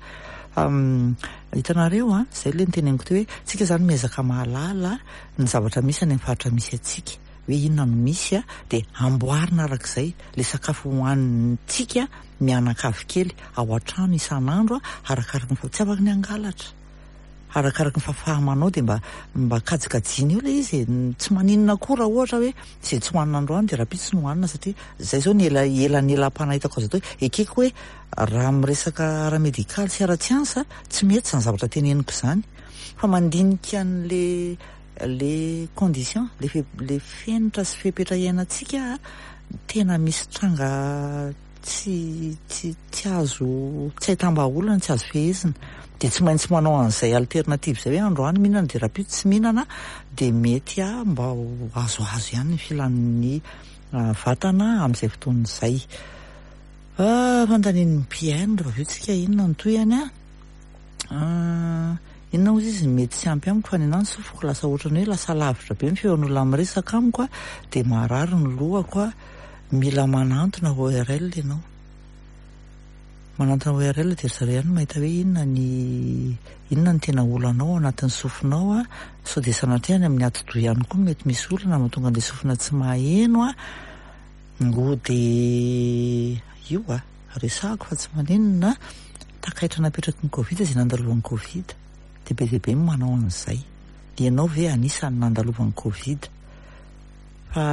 S1: hitanareo a izay le noteneniko teo hoe tsika zany miezaka mahalala ny zavatra misy any amin'ny faritra misy antsika hoe inona no misy a, dia amboarina arak'izay ilay sakafo hohanintsika mianakavy kely ao an-trano isan'andro a, arakaraka ny tsy afaka ny hangalatra, arakaraka ny fahafaha-manao dia mba mba kajikajiana eo ilay izy e, tsy maninona koa raha ohatra hoe izay tsy hohanina androany dia rahampitso no hohanina satria izay izao ny ela elanelam-panahy hitako azo atao hoe ekeko hoe raha miresaka ara-medikaly sy ara-tsiansa tsy mety izany zavatra teneniko izany. Fa mandinika an'le le condition, le fe le fenitra sy fepetra iainantsika tena misy tranga. tsy tsy tsy azo tsy ahitam-bahaolana, tsy azo fehezina. Dia tsy maintsy manao an'izay alternative izay hoe androany mihinana dia rahampitso tsy mihinana dia mety mba ho azoazo ihany ny filan'ny vatana amin'izay fotoana izay. Fanontanian'ny mpihaino rehefa avy eo tsika inona no tohiny an? Inona hozy izy mety tsy ampy amiko fa ny anahy ny sofiko lasa ohatran'ny hoe lasa lavitra be ny feon'olona miresaka amiko a, dia marary ny lohako a, mila manantona ORL ianao. Manantona ORL dia ry zareo ihany no mahita hoe inona ny inona ny tena olanao ao anatin'ny sofinao a, sao dia sanatria any amin'ny atidoha ihany koa mety misy olana mahatonga an'ilay sofina tsy maheno a, ngo dia io a. Resahako fa tsy maninona, takaitra napetraky ny covid izay nandalovan'ny covid, dia be dia be ny manao an'izay. Ianao ve anisan'ny nandalovan'ny covid? Fa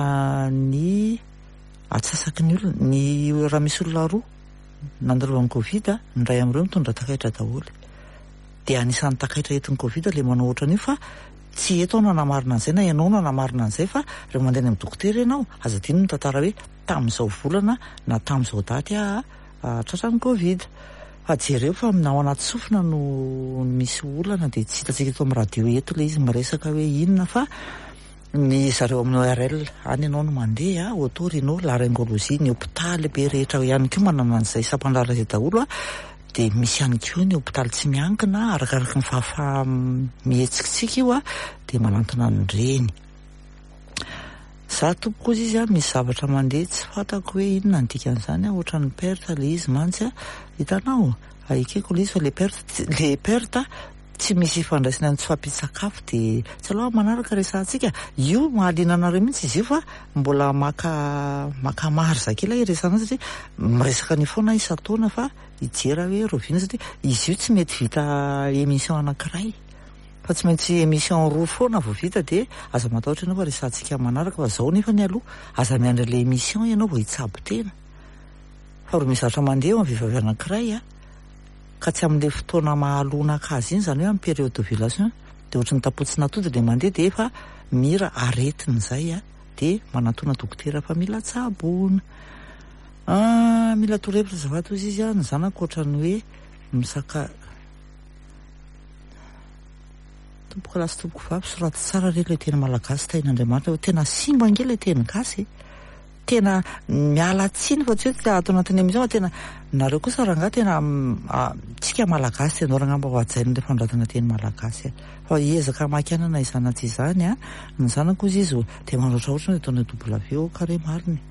S1: ny atsasaky ny olona, ny raha misy olona roa nandalovan'ny covid, ny iray amin'ireo mitondra takaitra daholo. Dia anisan'ny takaitra entin'ny covid ilay manao ohatran'io fa tsy eto aho no hanamarina an'izay na ianao no hanamarina an'izay fa rehefa mandeha any amin'ny dokotera ianao, aza adino ny mitantara hoe tamin'izao volana na tamin'izao daty aho tratran'ny covid. Fa jereo fa na ao anaty sofina no misy olana dia tsy hitantsika eto amin'ny radio eto ilay izy miresaka hoe inona fa ny zareo amin'ny ORL any ianao no mandeha, oto-rhino, laryngologie, ny hopitaly be rehetra ihany koa manana an'izay sampan-draharaha izay daholo dia misy ihany koa ny hopitaly tsy miankina arakaraky ny fahafaha-mihetsikitsika io dia manantona an'ireny. Za tompoko ozy izy a, misy zavatra mandeha tsy fantako hoe inona ny dikan'izany a, ohatran'ny perte le izy mantsy a, hitanao? Ekeko le izy fa le perte, le perte tsy misy ifandraisany amin'ny tsy fahampian-tsakafo de tsy aleo manaraka resahantsika, io mahaliana anareo mihitsy izy io fa mbola maka maka marge kely aho hiresahana azy satria miresaka an'io foana aho isan-taona fa hijery aho hoe rahoviana satria izy io tsy mety vita émission anankiray. Fa tsy maintsy émission roa foana vao vita dia aza matahotra ianao fa resahantsika amin'ny manaraka fa zao nefany aloha aza miandry an'ilay émission ianao vao hitsabo tena fa ro misy zavatra mandeha eo amin'ny vehivavy anankiray a ka tsy amin'ilay fotoana mahalonaka azy iny izany hoe amin'ny période d'ovulation dia ohatry ny tapotsin'atody ilay mandeha dia efa mira aretina izay a dia manatona dokotera fa mila tsaboina. Ah, mila torohevitra azafady hozy izy a, ny zanako ohatran'ny hoe misaka Tompoko lahy sy tompoko vavy, soraty tsara re ilay teny malagasy tahin'Andriamanitra fa tena simba ange ilay teny gasy e. Tena miala tsiny fa tsy hoe tsy ato anatin'ny émission fa tena nareo kosa rangahy tena tsika malagasy ianao rangahy mba ho hajaina ilay fanoratana teny malagasy e. Fa hiezaka hamaky anana izany na tsy izany a. Ny zanako hozy izy dia manoatra ohatrany hoe ataonay W au carré marina e.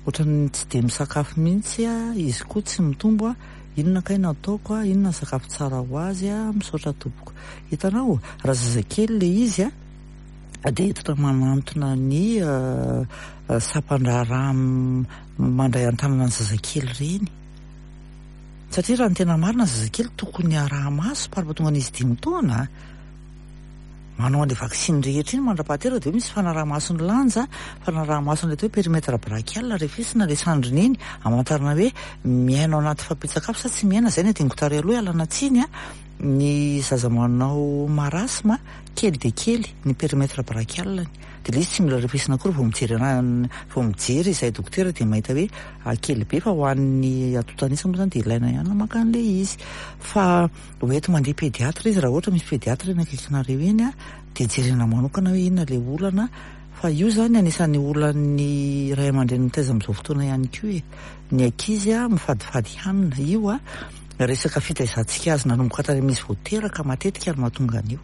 S1: Ohatran'ny tsy dia misakafo mihitsy a, izy koa tsy mitombo a. Inona kay no ataoko a, inona ny sakafo tsara ho azy a, misaotra tompoko. Hitanao, raha zazakely le izy a, dia entina manantona ny sampan-draharaha mandray an-tanana ny zazakely ireny. Satria raha ny tena marina ny zazakely tokony araha-maso par tonga an'izy dimy taona a. Manao an'ilay vaksiny rehetra iny mandra-pahateraka dia hoe misy fanaraha-maso ny lanja, fanaraha-maso an'ilay atao hoe périmètre brachial, refesina ilay sandriny iny, hamantarana hoe miaina ao anaty fahampian-tsakafo sa tsy miaina, izay no adinoko tary aloha ialana tsiny a, ny zaza manao marasme kely dia kely ny périmètre brachial-ny, dia ilay izy tsy mila refesina akory vao mijery ana, vao mijery izay dokotera dia mahita hoe kely be fa ho an'ny antontan'isa moa izany dia ilaina ihany ny maka an'ilay izy fa. Ho enti mandeha pédiatre izy raha ohatra misy pédiatre eny akaikinareo eny a, dia jerena manokana hoe inona ilay olana fa io izany anisan'ny olan'ny ray aman-dreny mitaiza amin'izao fotoana ihany koa e, ny ankizy a mifadifady hanina, io a resaka fitaizantsika azy nanomboka tany amin'izy vao teraka matetika no mahatonga an'io.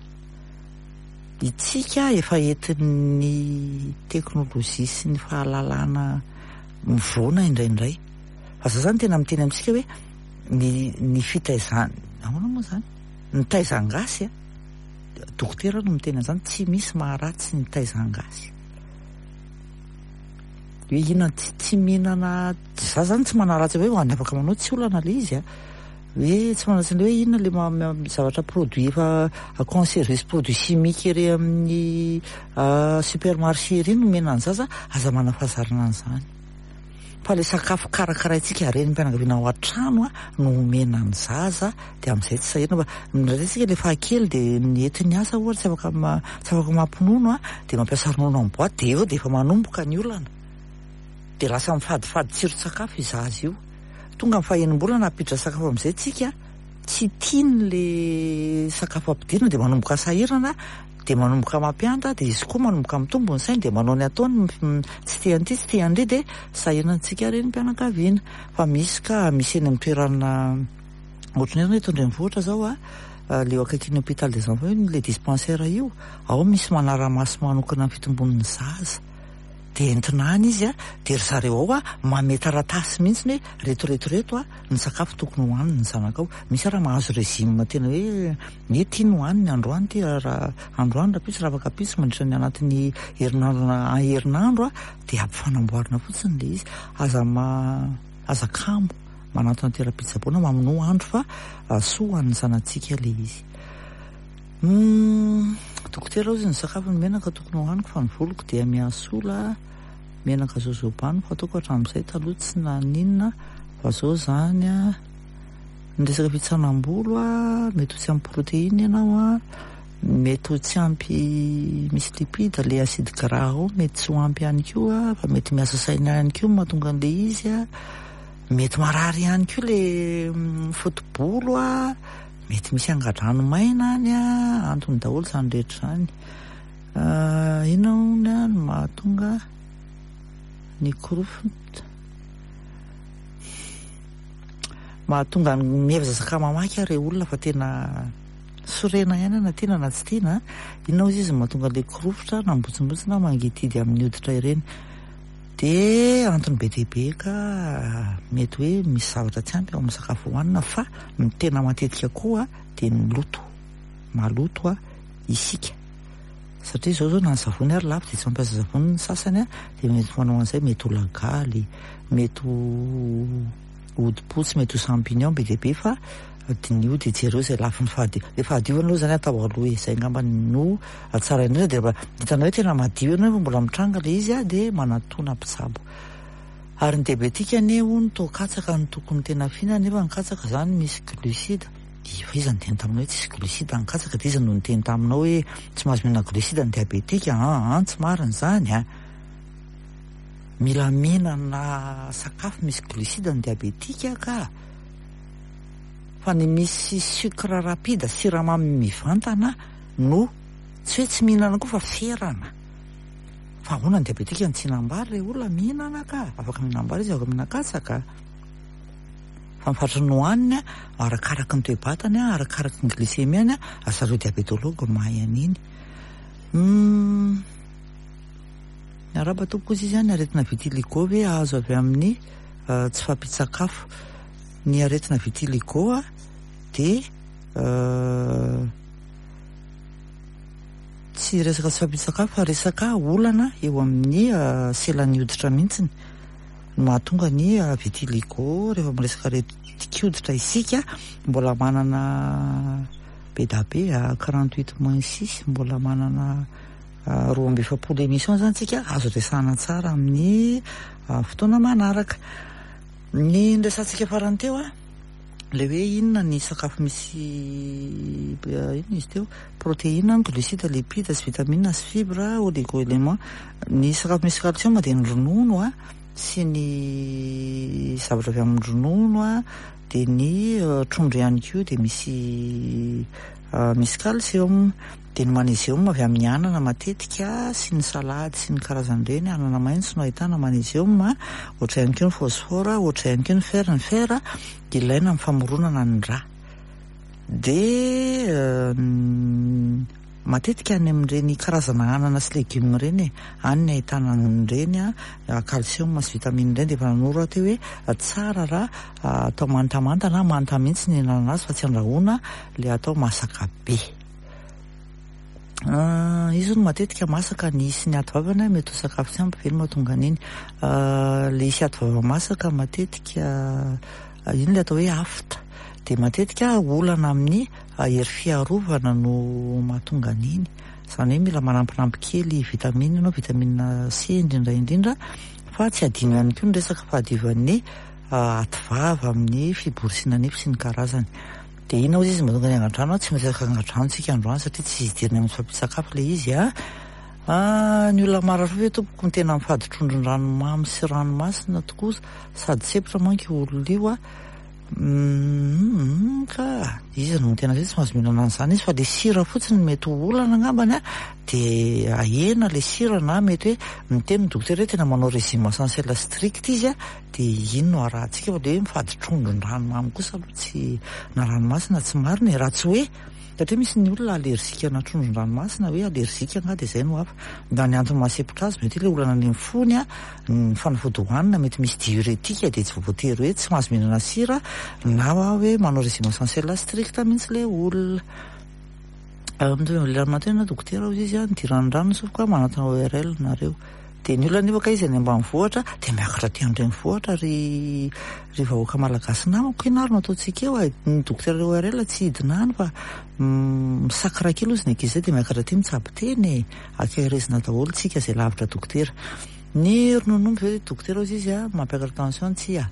S1: Itsika efa entin'ny teknolojia sy ny fahalalana mivoana indraindray fa za zany tena miteny amintsika hoe ny ny fitaizana ahoana moa zany ny taizan-gasy a dokotera no miteny an'izany tsy misy maharatsy ny taizan-gasy hoe inona tsy tsy mihinana za zany tsy manaratsy hoe ho an'ny afaka manao tsy olana le izy a hoe tsy manaratsy an'le hoe inona le zavatra produit efa conservé sy produit chimique ery amin'ny supermarché ery no omena ny zaza aza manafazarana an'izany Fa ilay sakafo karakaraintsika renim-pianakaviana ao an-trano no omena ny zaza dia amin'izay tsy sahirana fa indraindray isika ilay fahakely dia ny entiny asa ohatra tsy afaka tsy afaka mampinono dia mampiasa ronono amin'ny boite dia eo dia efa manomboka ny olana. Dia lasa mifadifady tsiron-tsakafo io zaza io. Tonga ny faha-enim-bolana hampiditra sakafo amin'izay tsika, tsy tiany le sakafo ampidirina dia manomboka sahirana, dia manomboka mampianta, dia izy koa manomboka mitombo ny sainy dia manao ny ataony, tsy te an'ity tsy te an'ry dia sahirana antsika renim-pianakaviana. Fa misy ka, misy eny amin'ny toerana ohatran'ny hoe eto an-drenivohitra izao a, le eo akaikin'ny hôpital des enfants io, le dispensaire io, ao misy manara-maso manokana ny fitombon'ny zaza. Dia entina any izy a, dia ry zareo ao a manome taratasy mihitsy hoe reto reto reto a ny sakafo tokony hohaniny ny zanakao. Misy ara mahazo régime tena hoe hoe ity no hohaniny androany ity raha androany rahampitso raha afaka ampitso mandritra ny anatin'ny herinandro na herinandro a dia ampifanamboarina fotsiny ilay izy. Aza ma aza kamo manantona toeram-pitsaboana mamonoa andro fa soa ho an'ny zanatsika ilay izy. Humm dokotera ozy ny sakafo ny menaka tokony hohaniko fa ny voloko dia mihasola menaka jojoba no fataoko hatramin'izay taloha tsy naninona fa zao zany a ny resaka fitsanam-bolo a mety ho tsy ampy protéine ianao a mety ho tsy ampy misy lipide le acide gras ao mety tsy ho ampy ihany koa fa mety miasa saina ihany koa no mahatonga an'le izy a mety marary ihany koa le foto-bolo a Mety misy angadrano maina any a, antony daholo izany rehetra izany. Inona hono no mahatonga ny korofona? Mahatonga ny miezaka mamaky aho re olona fa tena sorena ihany na tiana na tsy tiana. Inona hozy izy no mahatonga ilay korofotra na mibontsimbontsina mangidihidy amin'ny hoditra ireny? Dia antony be dia be ka mety hoe misy zavatra tsy ampy ao amin'ny sakafo hohanina fa ny tena matetika koa dia ny loto, maloto isika satria izao izao na ny savony ary lafo dia tsy mampiasa savony ny sasany dia mety manao an'izay, mety ho lagaly, mety ho hodi-potsy, mety ho champignon be dia be fa diniho dia jereo izay lafiny fahadio, ilay fahadiovana aloha izany atao aloha e, izay angamba no tsara indrindra dia rehefa hitanao hoe tena madio ianao nefa mbola mitranga ilay izy dia manatona mpitsabo. Ary ny diabetika anie hono toa katsaka no tokony tena fihinana nefa ny katsaka izany misy glucide, fa iza niteny taminao hoe tsisy glucide ny katsaka dia iza no niteny taminao hoe tsy mahazo mihinana glucide ny diabetika, an an tsy marina izany an! Mila mihinana sakafo misy glucide ny diabetika ka! Fa ny misy sucre rapide, siramamy mivantana no tsy hoe tsy mihinana koa fa ferana. Fa ahoana ny diabetika no tsy hihinam-bary re olona? Mihinana ka! Afaka mihinam-bary izy, afaka mihinan-katsaka. Fa ny fatry ny hohaniny, arakaraky ny toe-batany, arakaraky ny glycémie-ny, asa ireo diabétologue mahay an'iny. Humm. Miarahaba tompoko ozy izy an, ny aretina vitiligo ve azo avy amin'ny tsy fahampian-tsakafo? Ny aretina vitiligo dia tsy resaka tsy fahampian-tsakafo fa resaka olana eo amin'ny selan'ny hoditra mihitsy no mahatonga ny vitiligo. Rehefa miresaka aretin-koditra isika mbola manana be da be 48 moins 6 mbola manana 42 émission zany tsika azo resahana tsara amin'ny fotoana manaraka. Ny niresahantsika farany teo a, le hoe inona ny sakafo misy inona izy teo, protéine, glucide, lipide sy vitamine sy fibre, oligo-élément. Ny sakafo misy calcium dia ny ronono a, sy ny zavatra avy amin'ny ronono a, dia ny trondro ihany koa dia misy misy calcium. Dia ny magnésium avy amin'ny anana matetika sy ny salady sy ny karazany ireny, anana maitso no ahitana magnésium, ohatra ihany koa ny phosphore, ohatra ihany koa ny fer, ny fer ilaina amin'ny famoronana ny rà. Dia matetika any amin'ireny karazana anana sy legioma ireny e, any ny ahitana an'ireny calcium sy vitamine ireny, dia efa nanoro aho teo hoe tsara raha atao mantamanta na manta mihitsy ny hinanana azy fa tsy andrahoina ilay atao masaka be. Izy hono matetika masaka ny hisy ny aty vavany mety ho sakafo tsy ampy ve no mahatonga an'iny. Ilay hisy aty vava masaka matetika iny ilay atao hoe afta. Dia matetika olana amin'ny hery fiarovana no mahatonga an'iny. Izany hoe mila manampinampy kely vitamine ianao, vitamine C indrindra indrindra, fa tsy adino ihany koa ny resaka fahadiovan'ny aty vava amin'ny fiborosiana nify sy ny karazany. Dia inona hozy izy mahatonga ny angadrano an? Tsy miresaka angadrano tsika androany satria tsy hidirana amin'ny fampian-tsakafo ilay izy an. Ah, ny olona marary fo ve tompoko no tena mifady trondron-dranomamy sy ranomasina tokoa sady sempotra manko io olona io a. Humm ka iza no tena hoe tsy mahazo mihinana an'izany izy fa le sira fotsiny no mety ho olana angambany a, de ahena le sira na mety hoe miteny ny dokotera hoe tena manao régime essentiel strict izy a, de iny no arahantsika fa le hoe mifady trondron-dranomamy kosa aloha tsy na ranomasina tsy marina e, raha tsy hoe Satria misy ny olona allergique ana trondron-dranomasina hoe allergique angaha dia izay no hafa. Na ny antony mahasempotra azy mety hoe ilay olana any amin'ny fony a, ny fanafody hohanina mety misy diurétique dia tsy voatery hoe tsy mahazo mihinana sira na hoe manao régime essentiel strict mihitsy ilay olona. Mitovy amin'ilay ramatoa ianao dokotera hozy izy a, nidiran'ny rano ny sofiko a, manatona ORL nareo. Dia ny olona anefa kay izy any ambanivohitra dia miakatra aty an-drenivohitra ry ry vahoaka malagasy namako, inona ary no ataontsika eo e? Ny dokotera ORL tsy hidina any fa misakra kely hozy ny ankizy izay dia miakatra aty mitsabo tena e! Ankaherezina daholo tsika izay lavitra dokotera. Ny ronono omby ve dokotera hozy izy a, mampiakatra tension tsia?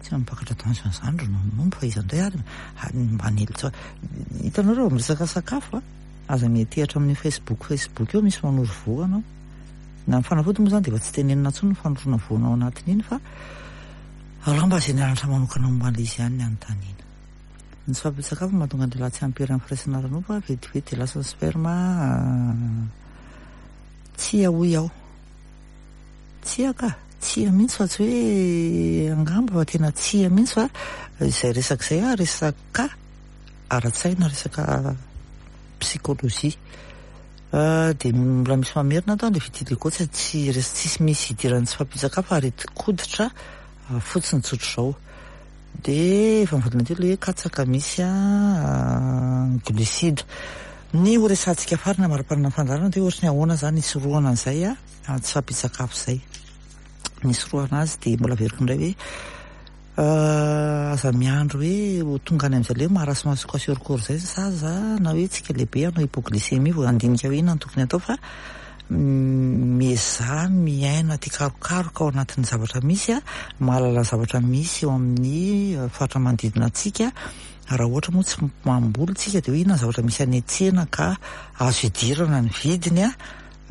S1: Tsy mampakatra tension izany ronono omby fa iza indray ary manely tsao. Hitanao reo miresaka sakafo a! Aza miantehatra amin'io Facebook Facebook io misy manoro voa anao. Na ny fanafody moa izany dia efa tsy tenenina intsony ny fanorona voana ao anatin'iny fa alao mba izay nianatra manokana momba an'ilay izy ihany ny anontaniana. Ny tsy fahampian-tsakafo no mahatonga ny lehilahy tsy ampy hery amin'ny firaisana ara-nofo, vetivety dia lasa ny sperme. Tsia hoy aho. Tsia ka! Tsia mihitsy fa tsy hoe angamba fa tena tsia mihitsy fa izay resaka izay ah resaka ara-tsaina, resaka psychologie. Dia mbola misy mamerina ato an, ilay vitiligo tsy tsy tsisy misy idiran'ny tsy fahampian-tsakafo fa aretin-koditra fotsiny tsotr'izao. Dia efa nivadina teo ilay hoe katsaka misy glucide. Ny ho resahantsika farany amara-parana ny fandaharana dia ohatry ny ahoana izany hisorohana an'izay tsy fahampian-tsakafo izay. Ny hisorohana azy dia mbola averiko indray hoe Aza miandry hoe ho tonga any amin'izay le hoe marasme sy kwashiorkor izay ny zaza na hoe tsika lehibe hanao hypoglycémie vao handinika hoe inona no tokony atao fa miezaha miaina tia karokaroka ao anatin'ny zavatra misy, mahalala ny zavatra misy eo amin'ny faritra manodidina antsika, raha ohatra moa tsy mamboly tsika dia hoe inona ny zavatra misy any an-tsena ka azo idirana ny vidiny.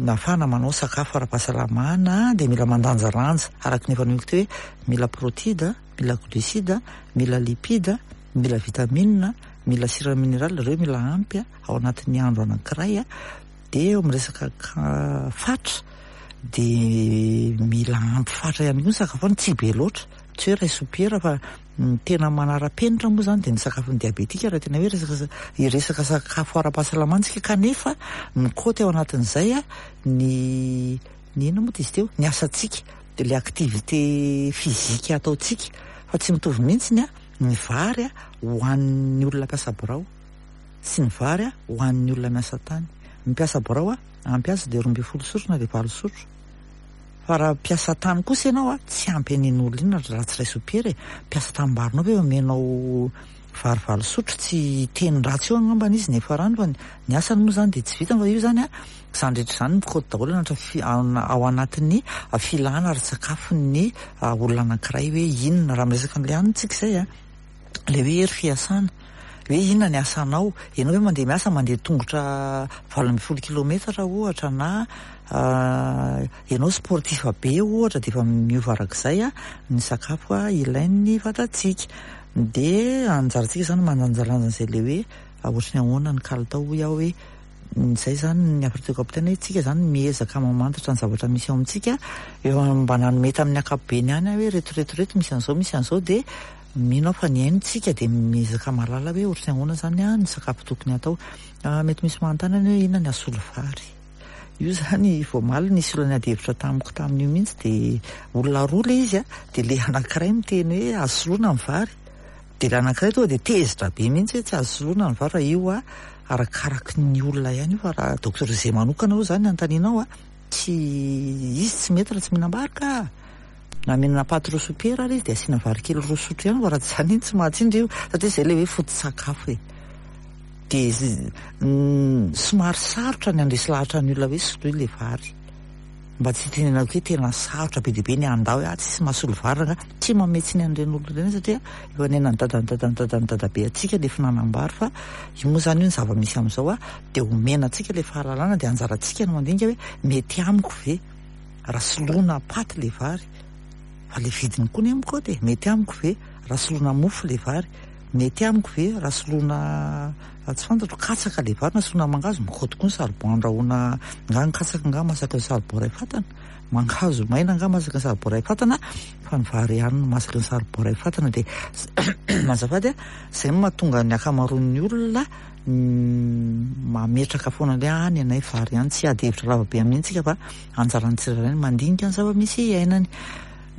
S1: Nahafahana manao sakafo ara-pahasalamana dia mila mandanjalanja araka ny efa nohiko teo hoe mila protida, mila glucide, mila lipide, mila vitamine, mila sira minéral, ireo mila ampy ao anatin'ny andro anankiray dia eo amin'ny resaka fatra dia mila ampy fatra ihany koa ny sakafo any, tsy be loatra, tsy hoe iray sopiera fa Ny tena manara-penitra moa izany dia ny sakafon'ny diabetika raha tena hoe resaka hiresaka sakafo ara-pahasalamana isika kanefa mikaoty ao anatin'izay ny ny inona moa izy teo ny asantsika dia ilay activité physique ataontsika fa tsy mitovy mihitsy ny ny vary ho an'ny olona mpiasa birao sy ny vary ho an'ny olona miasa tany. Ny mpiasa birao ampy azy dia 12 sotro na dia valo sotro. Fa raha mpiasa tany kosa ianao a, tsy ampy an'iny olona iny raha tsy iray sopiera e! Mpiasa tanimbary-nao ve omenao vary valo sotro tsy hiteny ratsy eo angambany izy ny farany fa ny asany moa izany dia tsy vitany fa io izany a, izany rehetra izany mikaoty daholo anaty ao anatin'ny filana ara-tsakafon'ny olona anankiray hoe inona raha miresaka an'ilay hanina tsika izay a. Ilay hoe hery fiasana, hoe inona ny asanao, ianao ve mandeha miasa mandeha tongotra 18 kilometatra ohatra na ianao sportif be ohatra dia efa miova arak'izay ny sakafo ilain'ny vatantsika. Dia anjarantsika izany mandanjalanja an'izay ilay hoe ohatry ny ahoana ny kalitao hoy aho hoe Izay izany ny hafatra tiako ampitaina hoe tsika izany miezaka mamantatra ny zavatra misy ao amintsika, efa mba nanome tamin'ny ankapobeny ihany aho hoe reto reto reto misy an'izao misy an'izao dia mino aho fa nihaino tsika dia miezaka mahalala hoe ohatry ny ahoana izany ny sakafo tokony hatao. Mety misy manontany any hoe inona ny asolo vary. Io izany vao omaly nisy olona niady hevitra tamiko tamin'io mihitsy dia olona roa ilay izy dia ilay anankiray miteny hoe azo soloina ny vary. Dia ilay anankiray tonga dia tezitra be mihitsy hoe tsy azo soloina ny vary fa io a arakaraky ny olona ihany io fa raha Docteur Zay manokana aloha izany anontanianao a, tsy izy tsy mety raha tsy mihinam-bary ka! Na mihinana paty roa sopiera ary izy dia asiana vary kely roa sotro ihany fa raha tsy izany iny tsy mahatsindry io satria izay ilay hoe foto-tsakafo e! Dia somary sarotra ny handresy lahatra ny olona hoe soloy ilay vary. Mba tsy hitenenako hoe tena sarotra be dia be ny handà hoe ah tsisy mahasolo vary rangaha. Tsy manome tsiny an'ireny olona ireny satria efa niainan'ny dadan'ny dadan'ny dadan'ny dadabe antsika ilay fihinanam-bary fa io moa izany io ny zava-misy amin'izao a, dia omena antsika ilay fahalalana dia anjarantsika no mandinika hoe mety amiko ve raha soloina paty ilay vary fa ilay vidiny koa anie mikaoty e, mety amiko ve raha soloina mofo ilay vary, mety amiko ve raha soloina tsy fantatro katsaka ilay vary na soloina mangahazo, mikaoty koa ny saribon andrahoina angaha ny katsaka angaha masaky ny saribon iray fatana? Mangahazo maina angaha masaky ny saribon iray fatana fa ny vary ihany no masaky ny saribon iray fatana dia azafady a, izay no mahatonga ny ankamaroan'ny olona mametraka foana ilay ah ny anay vary ihany, tsy hiady hevitra lava be amin'iny tsika fa anjaran'ny tsirairay ny mandinika ny zava-misy iainany.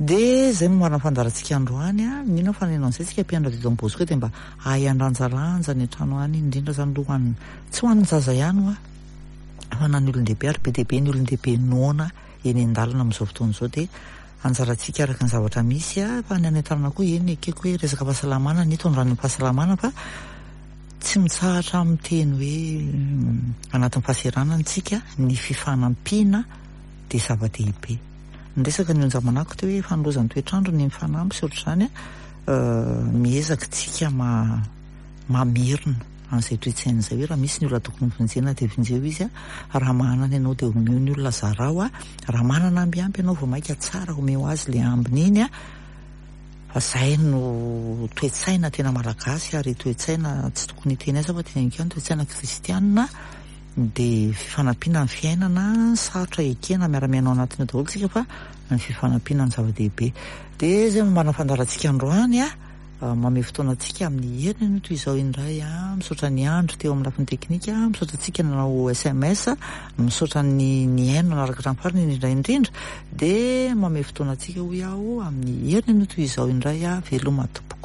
S1: Dia izay no marina fandaharantsika androany a, mino aho fa neno an'izay tsika mpianatra teto Bosco dia mba hahay handanjalanja any an-trano any, indrindra izany aloha ho an'ny, tsy ho an'ny zaza ihany hoa fa na ny olon-dehibe ary be dia be ny olon-dehibe noana eny an-dalana amin'izao fotoana izao dia anjarantsika araka ny zavatra misy a, fa ny any an-tanana koa eny ekeko hoe resaka fahasalamana ny itondrana ny fahasalamana fa tsy mitsahatra miteny hoe anatin'ny fahaseranana tsika ny fifanampiana dia zava-dehibe. Niresaka ny onjamanako teo hoe fanolozan'ny toetr'andro ny mifanampy sy ohatr'izany a, miezaka tsika mamerina an'izay toe-tsaina izay hoe raha misy ny olona tokony vonjena dia vonjeo izy a, raha manana ianao dia omeo ny olona zarao a, raha manana amby ampy ianao vao mainka tsara omeo azy ilay ambiny iny a, fa izay no toe-tsaina tena malagasy ary toe-tsaina tsy tokony hiteny aza fa teneniko ihany toe-tsaina kristianina dia fifanampiana ny fiainana, sarotra ekena miara-miaina ao anatiny ao daholo tsika fa ny fifanampiana no zava-dehibe. Dia izay no marina fandaharantsika androany a. Mamehy fotoana antsika amin'ny heriny anio toy izao indray a. Misaotra ny andro teo amin'ny lafiny teknika, misaotra antsika nanao sms, misaotra ny nihaino nanaraka hatramin'ny farany indrindra indrindra. Dia mamehy fotoana antsika hoy aho amin'ny heriny anio toy izao indray a. Veloma tompoko.